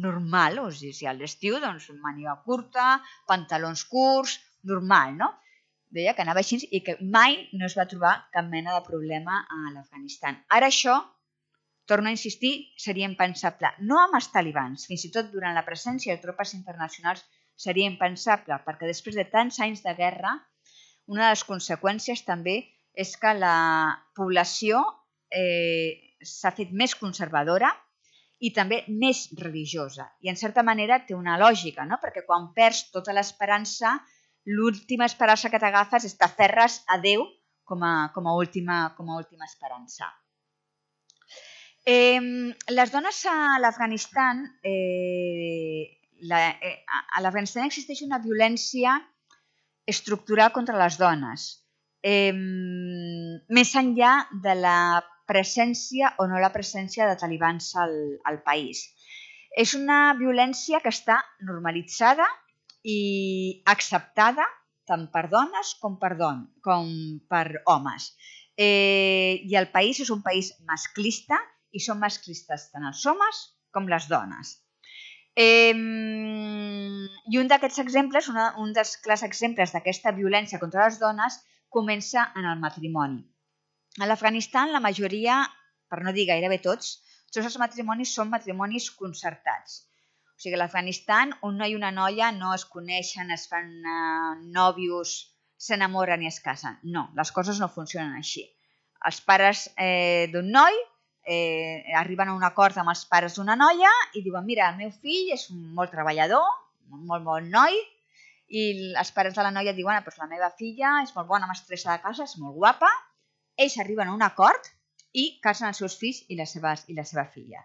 normal, o sigui, si a l'estiu, doncs, màniga curta, pantalons curts, normal, no? Deia que anava així i que mai no es va trobar cap mena de problema a l'Afganistan. Ara això, torno a insistir, seria impensable. No amb els talibans, fins i tot durant la presència de tropes internacionals seria impensable, perquè després de tants anys de guerra, una de les conseqüències també és que la població eh, s'ha fet més conservadora i també més religiosa. I en certa manera té una lògica, no? Perquè quan perds tota l'esperança, l'última esperança que t'agafes és t'aferres a Déu com a, com a, última, com a última esperança. Eh, les dones a l'Afganistan, eh, a l'Afganistan existeix una violència estructural contra les dones, eh, més enllà de la presència o no la presència de talibans al, al país. És una violència que està normalitzada i acceptada tant per dones com per, don, com per homes. Eh, I el país és un país masclista i són masclistes tant els homes com les dones. Eh, I un d'aquests exemples, una, un dels clars exemples d'aquesta violència contra les dones comença en el matrimoni. A l'Afganistan la majoria, per no dir gairebé tots, tots els matrimonis són matrimonis concertats. O sigui, a l'Afganistan un noi i una noia no es coneixen, es fan uh, nòvios, s'enamoren i es casen. No, les coses no funcionen així. Els pares eh, d'un noi eh, arriben a un acord amb els pares d'una noia i diuen, mira, el meu fill és molt treballador, un molt bon noi, i els pares de la noia diuen, ah, doncs la meva filla és molt bona mestressa de casa, és molt guapa. Ells arriben a un acord i casen els seus fills i la seva, i la seva filla.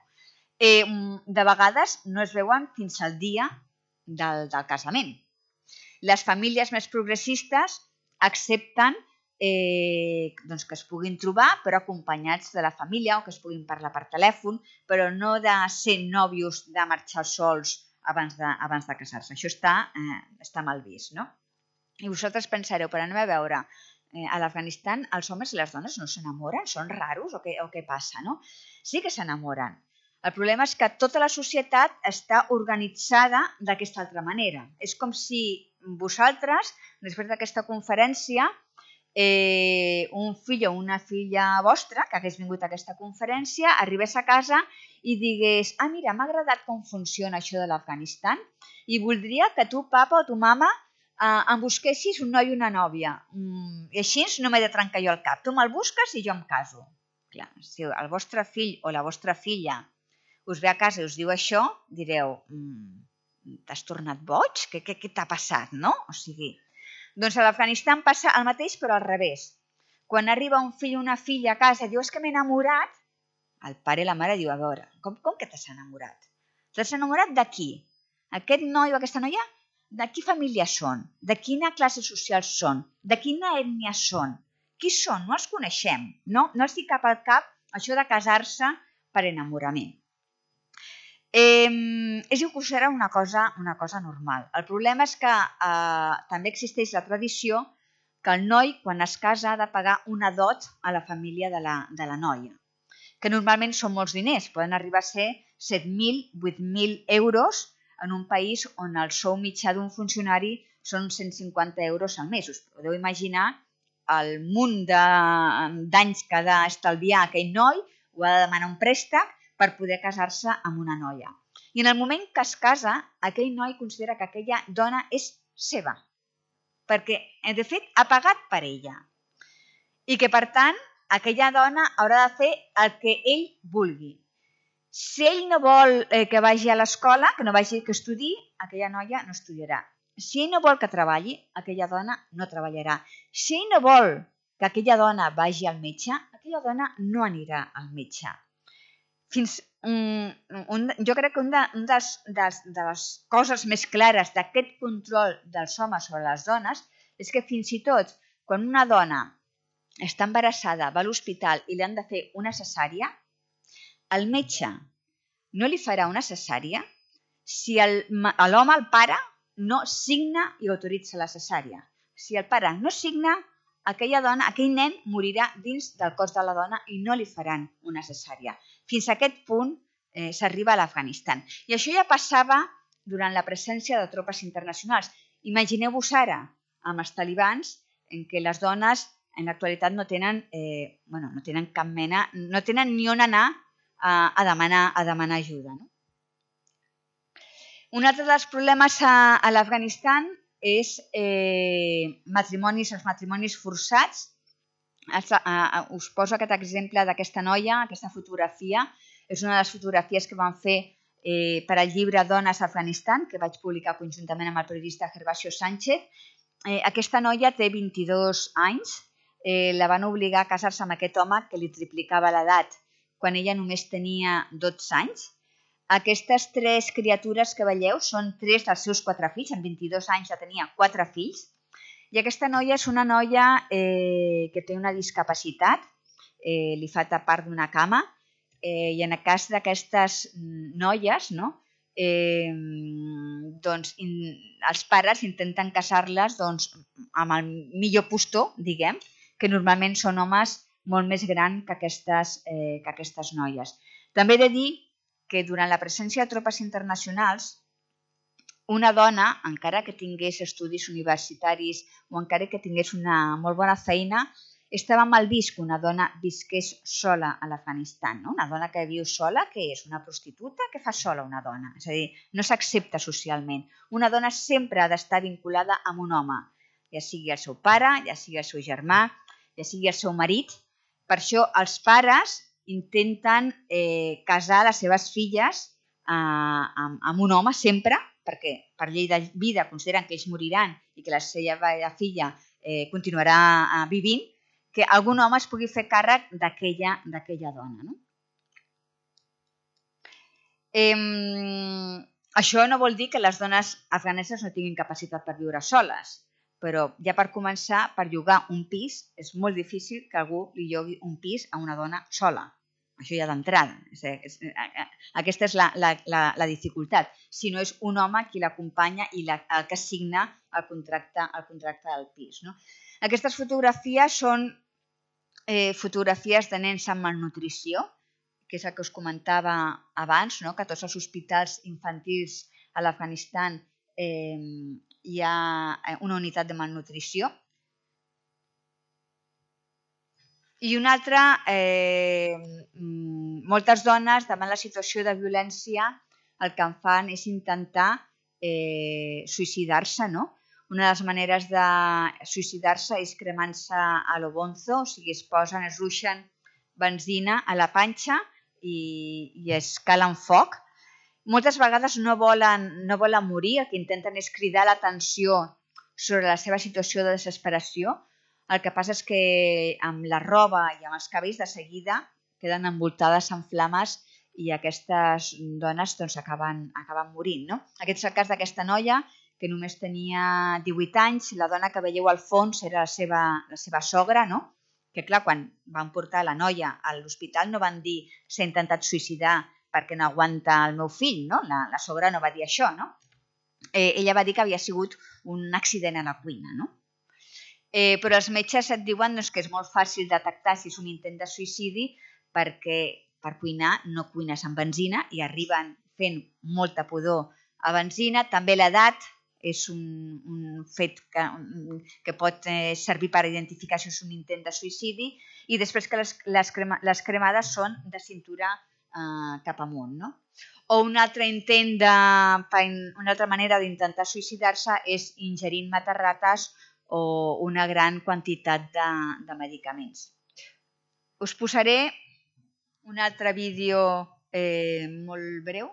Eh, de vegades no es veuen fins al dia del, del casament. Les famílies més progressistes accepten eh, doncs que es puguin trobar, però acompanyats de la família o que es puguin parlar per telèfon, però no de ser nòvios, de marxar sols abans de, abans de casar-se. Això està, eh, està mal vist, no? I vosaltres pensareu, per anem a veure, eh, a l'Afganistan els homes i les dones no s'enamoren? Són raros o què, o què passa, no? Sí que s'enamoren. El problema és que tota la societat està organitzada d'aquesta altra manera. És com si vosaltres, després d'aquesta conferència, eh, un fill o una filla vostra que hagués vingut a aquesta conferència arribés a casa i digués, ah, mira, m'ha agradat com funciona això de l'Afganistan i voldria que tu, papa o tu mama, eh, em busquessis un noi i una nòvia. Mm, I així no m'he de trencar jo el cap. Tu me'l busques i jo em caso. Clar, si el vostre fill o la vostra filla us ve a casa i us diu això, direu, mm, t'has tornat boig? Què, què, què t'ha passat, no? O sigui, doncs a l'Afganistan passa el mateix però al revés. Quan arriba un fill o una filla a casa i diu, és que m'he enamorat, el pare i la mare diu, a veure, com, com que t'has enamorat? T'has enamorat de qui? Aquest noi o aquesta noia? De quina família són? De quina classe social són? De quina ètnia són? Qui són? No els coneixem. No, no els dic cap al cap això de casar-se per enamorament. Eh, és considerar una cosa, una cosa normal. El problema és que eh, també existeix la tradició que el noi, quan es casa, ha de pagar una dot a la família de la, de la noia, que normalment són molts diners, poden arribar a ser set mil, vuit mil euros en un país on el sou mitjà d'un funcionari són cent cinquanta euros al mes. Us podeu imaginar el munt d'anys que ha d'estalviar aquell noi, o ha de demanar un préstec per poder casar-se amb una noia. I en el moment que es casa, aquell noi considera que aquella dona és seva, perquè, de fet, ha pagat per ella. I que, per tant, aquella dona haurà de fer el que ell vulgui. Si ell no vol eh, que vagi a l'escola, que no vagi que estudi, aquella noia no estudiarà. Si ell no vol que treballi, aquella dona no treballarà. Si ell no vol que aquella dona vagi al metge, aquella dona no anirà al metge. Fins, um, un, jo crec que una de, un dels, dels, de les coses més clares d'aquest control dels homes sobre les dones és que fins i tot quan una dona està embarassada, va a l'hospital i li han de fer una cesària, el metge no li farà una cesària si l'home, el pare, no signa i autoritza la cesària. Si el pare no signa, aquella dona, aquell nen morirà dins del cos de la dona i no li faran una cesària. Fins a aquest punt eh, s'arriba a l'Afganistan. I això ja passava durant la presència de tropes internacionals. Imagineu-vos ara, amb els talibans, en què les dones en l'actualitat no tenen, eh, bueno, no tenen cap mena, no tenen ni on anar a, a, demanar, a demanar ajuda. No? Un altre dels problemes a, a l'Afganistan és eh, matrimonis, els matrimonis forçats. Us poso aquest exemple d'aquesta noia, aquesta fotografia. És una de les fotografies que van fer eh, per al llibre Dones a Afganistan, que vaig publicar conjuntament amb el periodista Gervasio Sánchez. Eh, aquesta noia té vint-i-dos anys. Eh, la van obligar a casar-se amb aquest home que li triplicava l'edat quan ella només tenia dotze anys. Aquestes tres criatures que veieu són tres dels seus quatre fills. En vint-i-dos anys ja tenia quatre fills. I aquesta noia és una noia eh, que té una discapacitat, eh, li fa tapar d'una cama, eh, i en el cas d'aquestes noies, no? eh, doncs, in, els pares intenten casar-les doncs, amb el millor postor, diguem, que normalment són homes molt més grans que aquestes, eh, que aquestes noies. També he de dir que durant la presència de tropes internacionals, una dona, encara que tingués estudis universitaris o encara que tingués una molt bona feina, estava mal vist que una dona visqués sola a l'Afganistan. No? Una dona que viu sola, què és? Una prostituta? Què fa sola una dona? És a dir, no s'accepta socialment. Una dona sempre ha d'estar vinculada amb un home, ja sigui el seu pare, ja sigui el seu germà, ja sigui el seu marit. Per això els pares intenten eh, casar les seves filles eh, amb, amb un home sempre, perquè per llei de vida consideren que ells moriran i que la seva filla eh, continuarà eh, vivint, que algun home es pugui fer càrrec d'aquella d'aquella dona. No? Eh, això no vol dir que les dones afganeses no tinguin capacitat per viure soles, però ja per començar, per llogar un pis, és molt difícil que algú li llogui un pis a una dona sola. Això ja d'entrada. Aquesta és la, la, la, la dificultat. Si no és un home qui l'acompanya i la, el que signa el contracte, el contracte del pis. No? Aquestes fotografies són eh, fotografies de nens amb malnutrició, que és el que us comentava abans, no? Que a tots els hospitals infantils a l'Afganistan eh, hi ha una unitat de malnutrició. I una altra, eh, moltes dones davant la situació de violència el que en fan és intentar eh, suïcidar-se, no? Una de les maneres de suïcidar-se és cremant-se a lo bonzo, o sigui, es posen, es ruixen benzina a la panxa i, i es calen foc. Moltes vegades no volen, no volen morir, el que intenten és cridar l'atenció sobre la seva situació de desesperació. El que passa és que amb la roba i amb els cabells de seguida queden envoltades en flames i aquestes dones doncs, acaben, acaben morint. No? Aquest és el cas d'aquesta noia que només tenia divuit anys. La dona que veieu al fons era la seva, la seva sogra, no? Que clar, quan van portar la noia a l'hospital no van dir s'ha intentat suïcidar perquè no aguanta el meu fill. No? La, la sogra no va dir això. No? Eh, ella va dir que havia sigut un accident a la cuina. No? Eh, però els metges et diuen doncs, que és molt fàcil detectar si és un intent de suïcidi perquè per cuinar no cuines amb benzina i arriben fent molta pudor a benzina. També l'edat és un, un fet que, que pot eh, servir per identificar si és un intent de suïcidi i després que les, les, crema, les cremades són de cintura eh, cap amunt. No? O un altre intent de, una altra manera d'intentar suïcidar-se és ingerint matarrates o una gran quantitat de, de medicaments. Us posaré un altre vídeo eh, molt breu.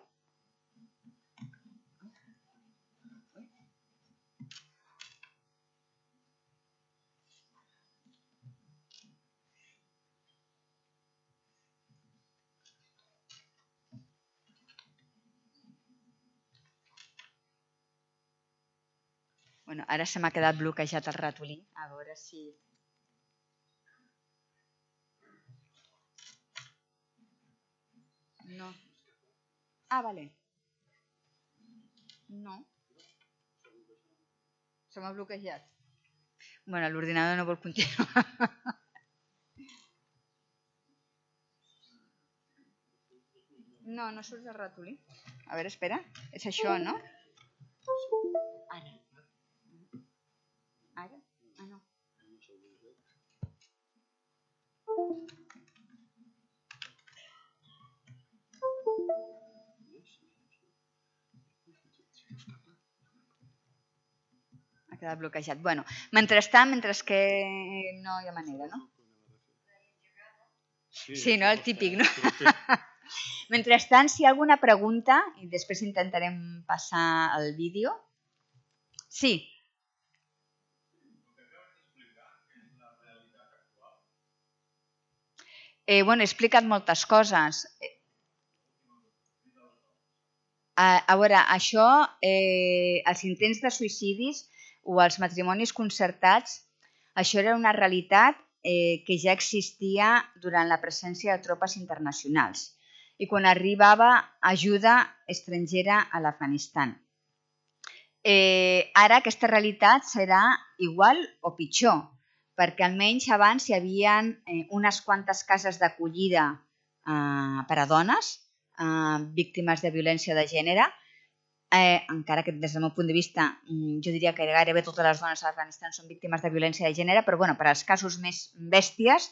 Bueno, ara se m'ha quedat bloquejat el ratolí. A veure si... No. Ah, vale. No. Se m'ha bloquejat. Bueno, l'ordinador no vol continuar. No, no surt el ratolí. A veure, espera. És això, no? Ara. Ara? Ah, no. Ha quedat bloquejat. Bueno, mentrestant, mentre que no hi ha manera, no? Sí, no? El típic, no? Mentrestant, si hi ha alguna pregunta, i després intentarem passar el vídeo. Sí. Eh, bueno, he explicat moltes coses. A, a veure, això, eh, els intents de suïcidis o els matrimonis concertats, això era una realitat eh, que ja existia durant la presència de tropes internacionals i quan arribava ajuda estrangera a l'Afganistan. Eh, ara aquesta realitat serà igual o pitjor, perquè almenys abans hi havia eh, unes quantes cases d'acollida eh, per a dones eh, víctimes de violència de gènere, eh, encara que des del meu punt de vista jo diria que gairebé totes les dones a l'Afganistan són víctimes de violència de gènere, però bueno, per als casos més bèsties,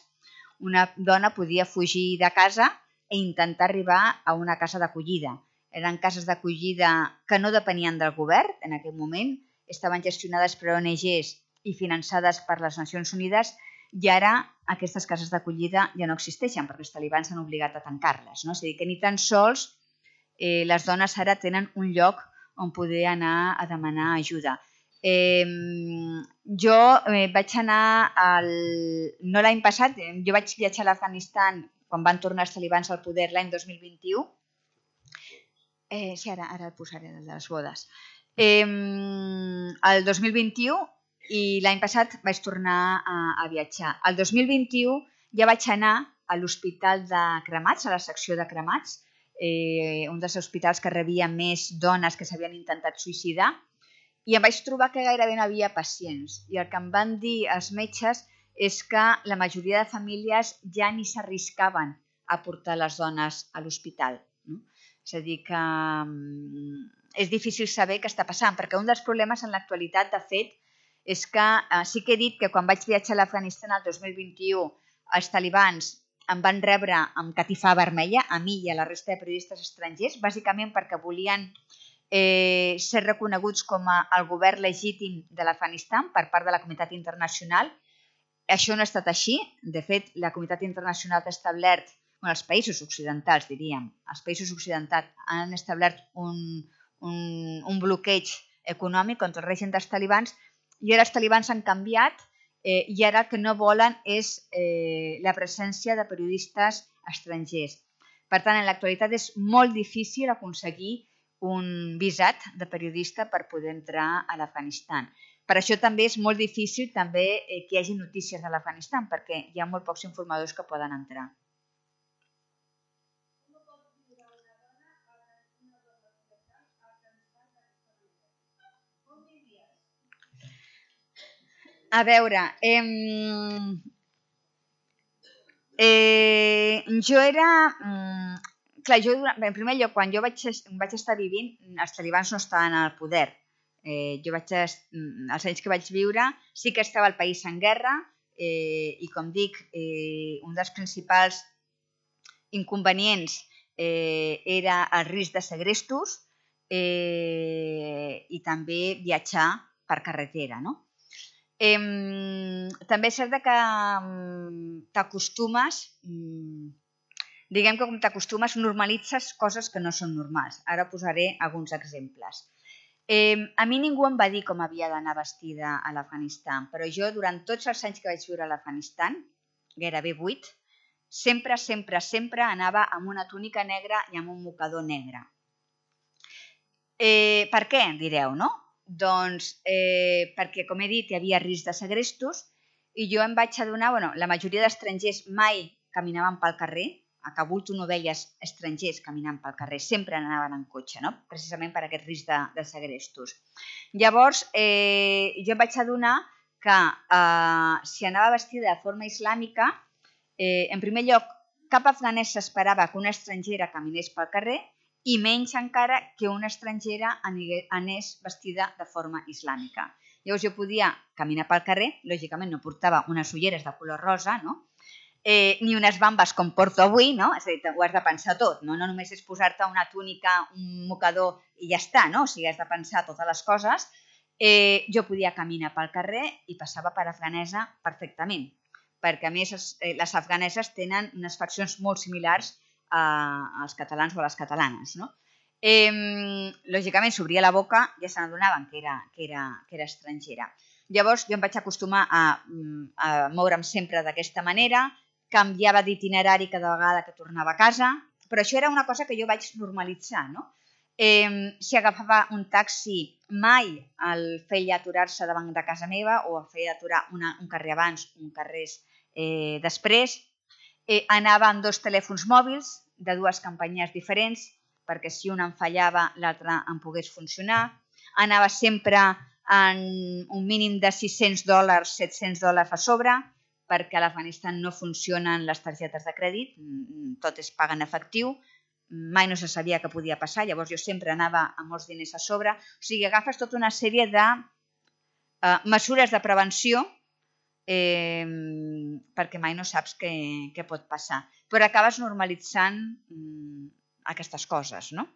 una dona podia fugir de casa e intentar arribar a una casa d'acollida. Eren cases d'acollida que no depenien del govern en aquell moment, estaven gestionades per O N Ges i finançades per les Nacions Unides i ara aquestes cases d'acollida ja no existeixen perquè els talibans han obligat a tancar-les. No? És a dir, que ni tan sols eh, les dones ara tenen un lloc on poder anar a demanar ajuda. Eh, jo eh, vaig anar, al... no l'any passat, eh, jo vaig viatjar a l'Afganistan quan van tornar els talibans al poder l'any dos mil vint-i-u. Eh, sí, ara, ara el posaré, el de les bodes. Eh, el dos mil vint-i-u i l'any passat vaig tornar a, a viatjar. El dos mil vint-i-u ja vaig anar a l'Hospital de Cremats, a la secció de Cremats, eh, un dels hospitals que rebia més dones que s'havien intentat suïcidar, i em vaig trobar que gairebé no havia pacients. I el que em van dir els metges és que la majoria de famílies ja ni s'arriscaven a portar les dones a l'hospital. No? És a dir, que um, és difícil saber què està passant, perquè un dels problemes en l'actualitat, de fet, és que eh, sí que he dit que quan vaig viatjar a l'Afganistan el dos mil vint-i-u, els talibans em van rebre amb catifa vermella, a mi i a la resta de periodistes estrangers, bàsicament perquè volien eh, ser reconeguts com a el govern legítim de l'Afganistan per part de la comunitat internacional. Això no ha estat així. De fet, la comunitat internacional ha establert, bueno, els països occidentals, diríem, els països occidentals han establert un, un, un bloqueig econòmic contra el règim dels talibans i ara els talibans han canviat eh, i ara el que no volen és eh, la presència de periodistes estrangers. Per tant, en l'actualitat és molt difícil aconseguir un visat de periodista per poder entrar a l'Afganistan. Per això també és molt difícil també eh, que hi hagi notícies de l'Afganistan, perquè hi ha molt pocs informadors que poden entrar. A veure, eh, eh, jo era... Eh, clar, jo, en primer lloc, quan jo vaig, vaig estar vivint, els talibans no estaven al poder. Eh, jo vaig, els anys que vaig viure, sí que estava el país en guerra eh, i, com dic, eh, un dels principals inconvenients eh, era el risc de segrestos eh, i també viatjar per carretera, no? Eh, també és cert que t'acostumes, diguem que com t'acostumes, normalitzes coses que no són normals. Ara posaré alguns exemples. Eh, a mi ningú em va dir com havia d'anar vestida a l'Afganistan, però jo durant tots els anys que vaig viure a l'Afganistan, gairebé vuit, sempre, sempre, sempre anava amb una túnica negra i amb un mocador negre. Eh, per què, direu, no? Doncs eh, perquè, com he dit, hi havia risc de segrestos i jo em vaig adonar, bueno, la majoria d'estrangers mai caminaven pel carrer, a Kabul tu no veies estrangers caminant pel carrer, sempre anaven en cotxe, no? Precisament per aquest risc de, de segrestos. Llavors, eh, jo em vaig adonar que eh, si anava vestida de forma islàmica, eh, en primer lloc, cap afganès s'esperava que una estrangera caminés pel carrer i menys encara que una estrangera anés vestida de forma islàmica. Llavors jo podia caminar pel carrer, lògicament no portava unes ulleres de color rosa, no? Eh, ni unes bambes com porto avui, no? És a dir, ho has de pensar tot, no? No només és posar-te una túnica, un mocador i ja està, no? O sigui, has de pensar totes les coses. Eh, jo podia caminar pel carrer i passava per afganesa perfectament, perquè a més les afganeses tenen unes faccions molt similars als catalans o a les catalanes, no? Eh, lògicament s'obria la boca i ja se n'adonaven que era, que, era, que era estrangera. Llavors jo em vaig acostumar a, a moure'm sempre d'aquesta manera, canviava d'itinerari cada vegada que tornava a casa, però això era una cosa que jo vaig normalitzar, no? Si agafava un taxi, mai el feia aturar-se davant de casa meva o el feia aturar un carrer abans, un carrer després. Anava amb dos telèfons mòbils de dues companyies diferents perquè si un em fallava l'altre em pogués funcionar. Anava sempre en un mínim de sis-cents dòlars, set-cents dòlars a sobre perquè a l'Afganistan no funcionen les targetes de crèdit, tot es paga en efectiu. Mai no se sabia què podia passar, llavors jo sempre anava amb molts diners a sobre. O sigui, agafes tota una sèrie de mesures de prevenció perquè mai no saps què pot passar. Però acabes normalitzant aquestes coses, no?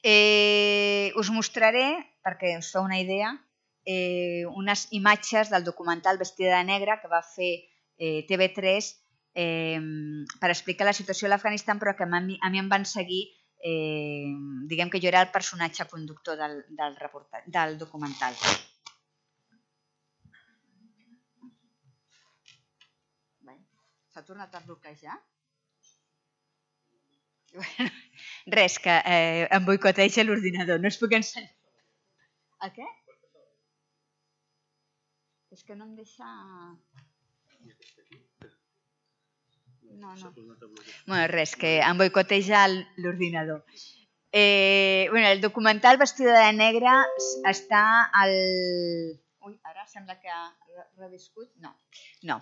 Us mostraré, perquè us feu una idea, unes imatges del documental Vestida de negre que va fer T V tres per explicar la situació a l'Afganistan, però que a mi em van seguir, diguem que jo era el personatge conductor del documental. S'ha tornat a bloquejar? Res, que em boicoteja l'ordinador, no us puc ensenyar. A què? És que no em deixa... No, no. Bueno, res, que em boicoteja l'ordinador. El documental Vestida de negre està al... Ui, ara sembla que ha reviscut. No, no.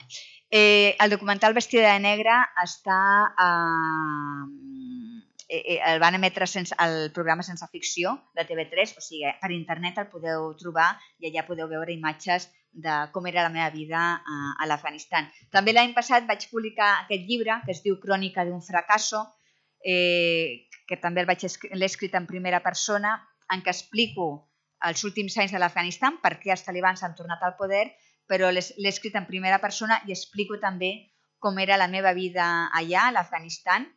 El documental Vestida de negre està... El van emetre al programa Sense Ficció de T V tres, o sigui, per internet el podeu trobar i allà podeu veure imatges de com era la meva vida a l'Afganistan. També l'any passat vaig publicar aquest llibre que es diu Crònica d'un fracasso, que també l'he escrit en primera persona, en què explico els últims anys de l'Afganistan, per què els talibans han tornat al poder, però l'he escrit en primera persona i explico també com era la meva vida allà, a l'Afganistan,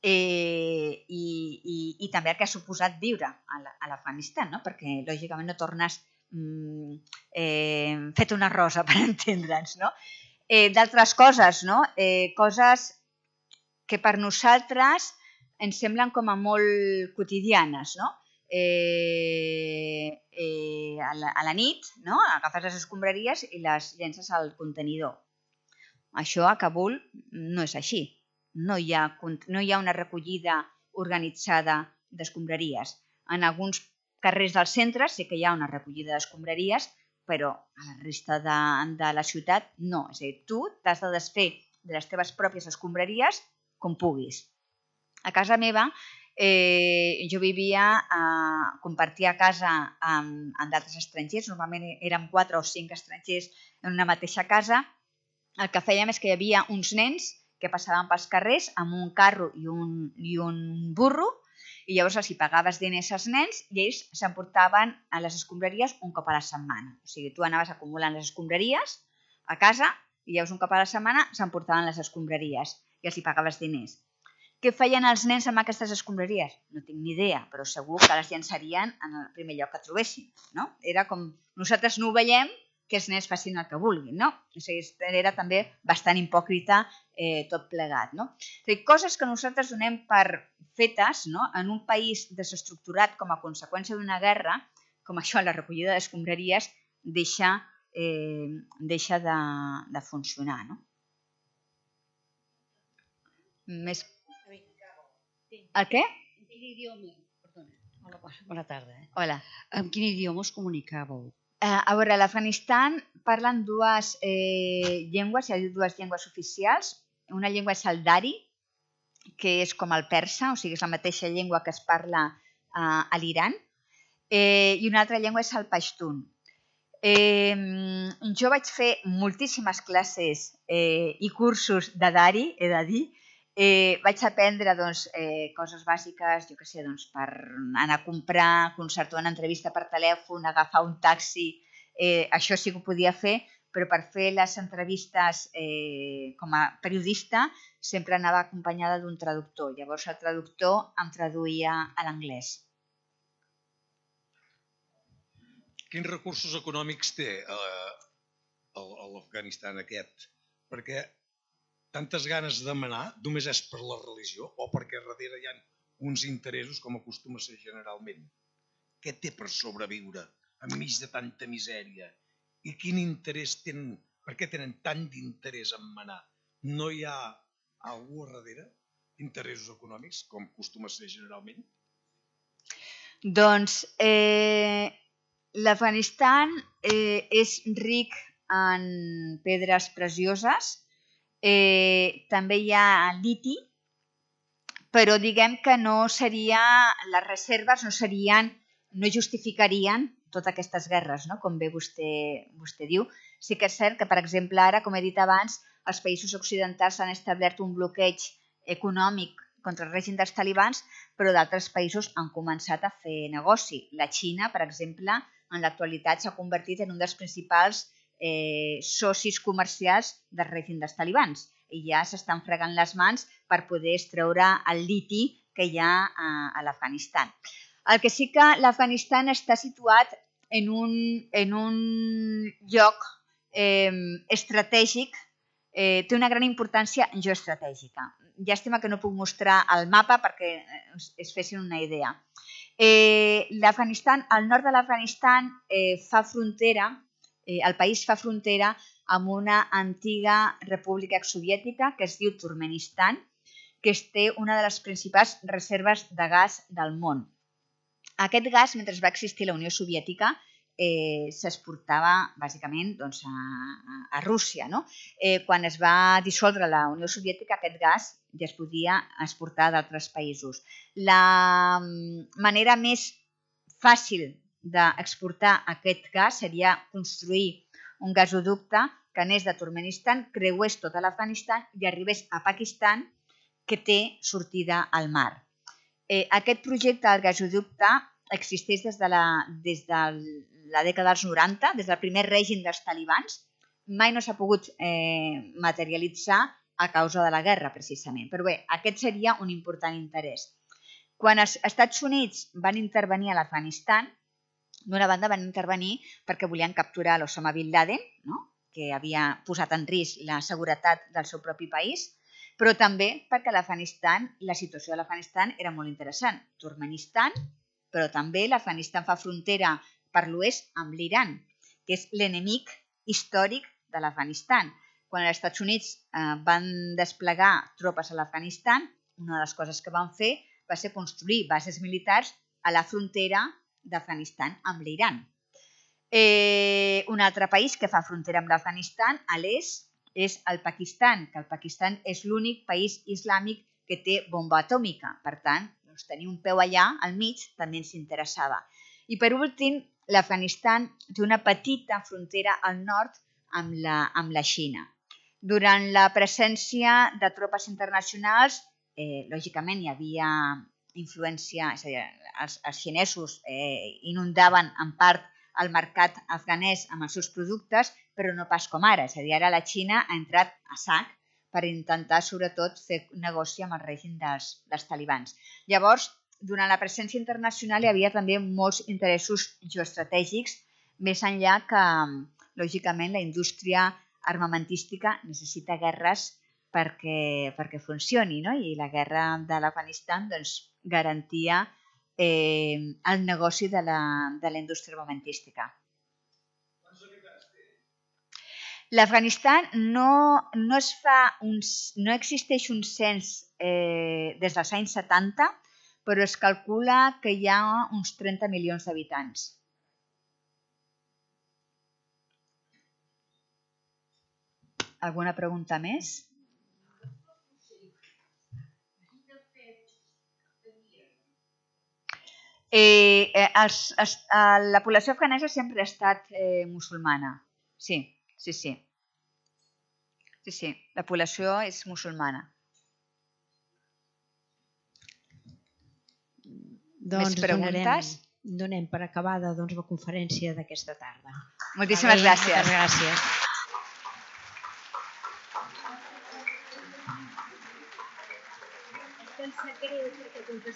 i també el que ha suposat viure a l'Afganistan, perquè lògicament no tornes fet una rosa, per entendre'ns. D'altres coses, coses que per nosaltres ens semblen com a molt quotidianes. A la nit agafes les escombraries i les llences al contenidor. Això a Kabul no és així. No hi ha una recollida organitzada d'escombraries. En alguns carrers del centre sí que hi ha una recollida d'escombraries, però a la resta de la ciutat no. És a dir, tu t'has de desfer de les teves pròpies escombraries com puguis. A casa meva jo vivia, compartia casa amb d'altres estrangers, normalment érem quatre o cinc estrangers en una mateixa casa. El que fèiem és que hi havia uns nens que passaven pels carrers amb un carro i un burro i llavors els hi pagaves diners als nens i ells s'emportaven a les escombraries un cop a la setmana. O sigui, tu anaves acumulant les escombraries a casa i llavors un cop a la setmana s'emportaven les escombraries i els hi pagaves diners. Què feien els nens amb aquestes escombraries? No tinc ni idea, però segur que les llançarien en el primer lloc que trobessin. Era com nosaltres no ho veiem, que els nens facin el que vulguin. Era també bastant hipòcrita tot plegat. Coses que nosaltres donem per fetes en un país desestructurat com a conseqüència d'una guerra, com això, la recollida d'escombraries, deixa de funcionar. Més... El què? En quin idioma? Perdona. Bona tarda. Hola. En quin idioma us comunicàveu? A veure, a l'Afganistan parlen dues llengües, hi ha dues llengües oficials. Una llengua és el dari, que és com el persa, o sigui, és la mateixa llengua que es parla a l'Iran, i una altra llengua és el pashtun. Jo vaig fer moltíssimes classes i cursos de dari, he de dir. Vaig aprendre coses bàsiques, jo què sé, per anar a comprar, concertar una entrevista per telèfon, agafar un taxi, això sí que ho podia fer, però per fer les entrevistes com a periodista sempre anava acompanyada d'un traductor. Llavors el traductor em traduïa a l'anglès. Quins recursos econòmics té l'Afganistan aquest? Perquè tantes ganes de manar només és per la religió o perquè darrere hi ha uns interessos com acostuma a ser generalment. Què té per sobreviure enmig de tanta misèria? I quin interès tenen, per què tenen tant d'interès en manar? No hi ha algú a darrere? Interessos econòmics, com acostuma a ser generalment? Doncs eh, l'Afganistan eh, és ric en pedres precioses, eh, també hi ha liti, però diguem que no seria, les reserves no serien, no justificarien totes aquestes guerres, no? Com bé vostè, vostè diu. Sí que és cert que, per exemple, ara, com he dit abans, els països occidentals han establert un bloqueig econòmic contra el règim dels talibans, però d'altres països han començat a fer negoci. La Xina, per exemple, en l'actualitat s'ha convertit en un dels principals eh, socis comercials del règim dels talibans i ja s'estan fregant les mans per poder extreure el liti que hi ha a, a l'Afganistan. El que sí que l'Afganistan està situat en un, en un lloc eh, estratègic, eh, té una gran importància geoestratègica. Llàstima que no puc mostrar el mapa perquè es, es fessin una idea. Eh, L'Afganistan, el nord de l'Afganistan eh, fa frontera, eh, el país fa frontera amb una antiga república exsoviètica que es diu Turkmenistan, que té una de les principals reserves de gas del món. Aquest gas, mentre va existir la Unió Soviètica, eh, s'exportava bàsicament doncs, a, a Rússia. No? Eh, quan es va dissoldre la Unió Soviètica, aquest gas ja es podia exportar d'altres països. La manera més fàcil d'exportar aquest gas seria construir un gasoducte que anés de Turkmenistan, creués tot l'Afganistan i arribés a Pakistan, que té sortida al mar. Eh, aquest projecte del gasoducte existeix des de, la, des de la dècada dels noranta, des del primer règim dels talibans. Mai no s'ha pogut eh, materialitzar a causa de la guerra, precisament. Però bé, aquest seria un important interès. Quan els Estats Units van intervenir a l'Afganistan, d'una banda van intervenir perquè volien capturar l'Osama Bin Laden, no? Que havia posat en risc la seguretat del seu propi país, però també perquè l'Afganistan, la situació de l'Afganistan era molt interessant. Turkmenistan, però també l'Afganistan fa frontera per l'oest amb l'Iran, que és l'enemic històric de l'Afganistan. Quan els Estats Units eh, van desplegar tropes a l'Afganistan, una de les coses que van fer va ser construir bases militars a la frontera d'Afganistan amb l'Iran. Eh, un altre país que fa frontera amb l'Afganistan a l'est és el Pakistan, que el Pakistan és l'únic país islàmic que té bomba atòmica. Per tant, doncs, tenir un peu allà al mig també ens interessava. I per últim, l'Afganistan té una petita frontera al nord amb la, amb la Xina. Durant la presència de tropes internacionals, eh, lògicament hi havia influència, és a dir, els, els xinesos eh, inundaven en part el mercat afganès amb els seus productes, però no pas com ara. És a dir, ara la Xina ha entrat a sac per intentar, sobretot, fer negoci amb el règim dels, dels talibans. Llavors, durant la presència internacional hi havia també molts interessos geoestratègics, més enllà que, lògicament, la indústria armamentística necessita guerres perquè, perquè funcioni, no? I la guerra de l'Afganistan doncs, garantia eh, el negoci de la, de la indústria armamentística. L'Afganistan no, no, es fa un, no existeix un cens eh, des dels anys setanta, però es calcula que hi ha uns trenta milions d'habitants. Alguna pregunta més? Eh, eh, els, els, eh, la població afganesa sempre ha estat eh, musulmana. Sí, sí, sí. Sí, sí, la població és musulmana. Doncs Més preguntes? Donarem, donem per acabada doncs, la conferència d'aquesta tarda. Moltíssimes Vale, gràcies. Moltes gràcies. Em sap greu perquè com que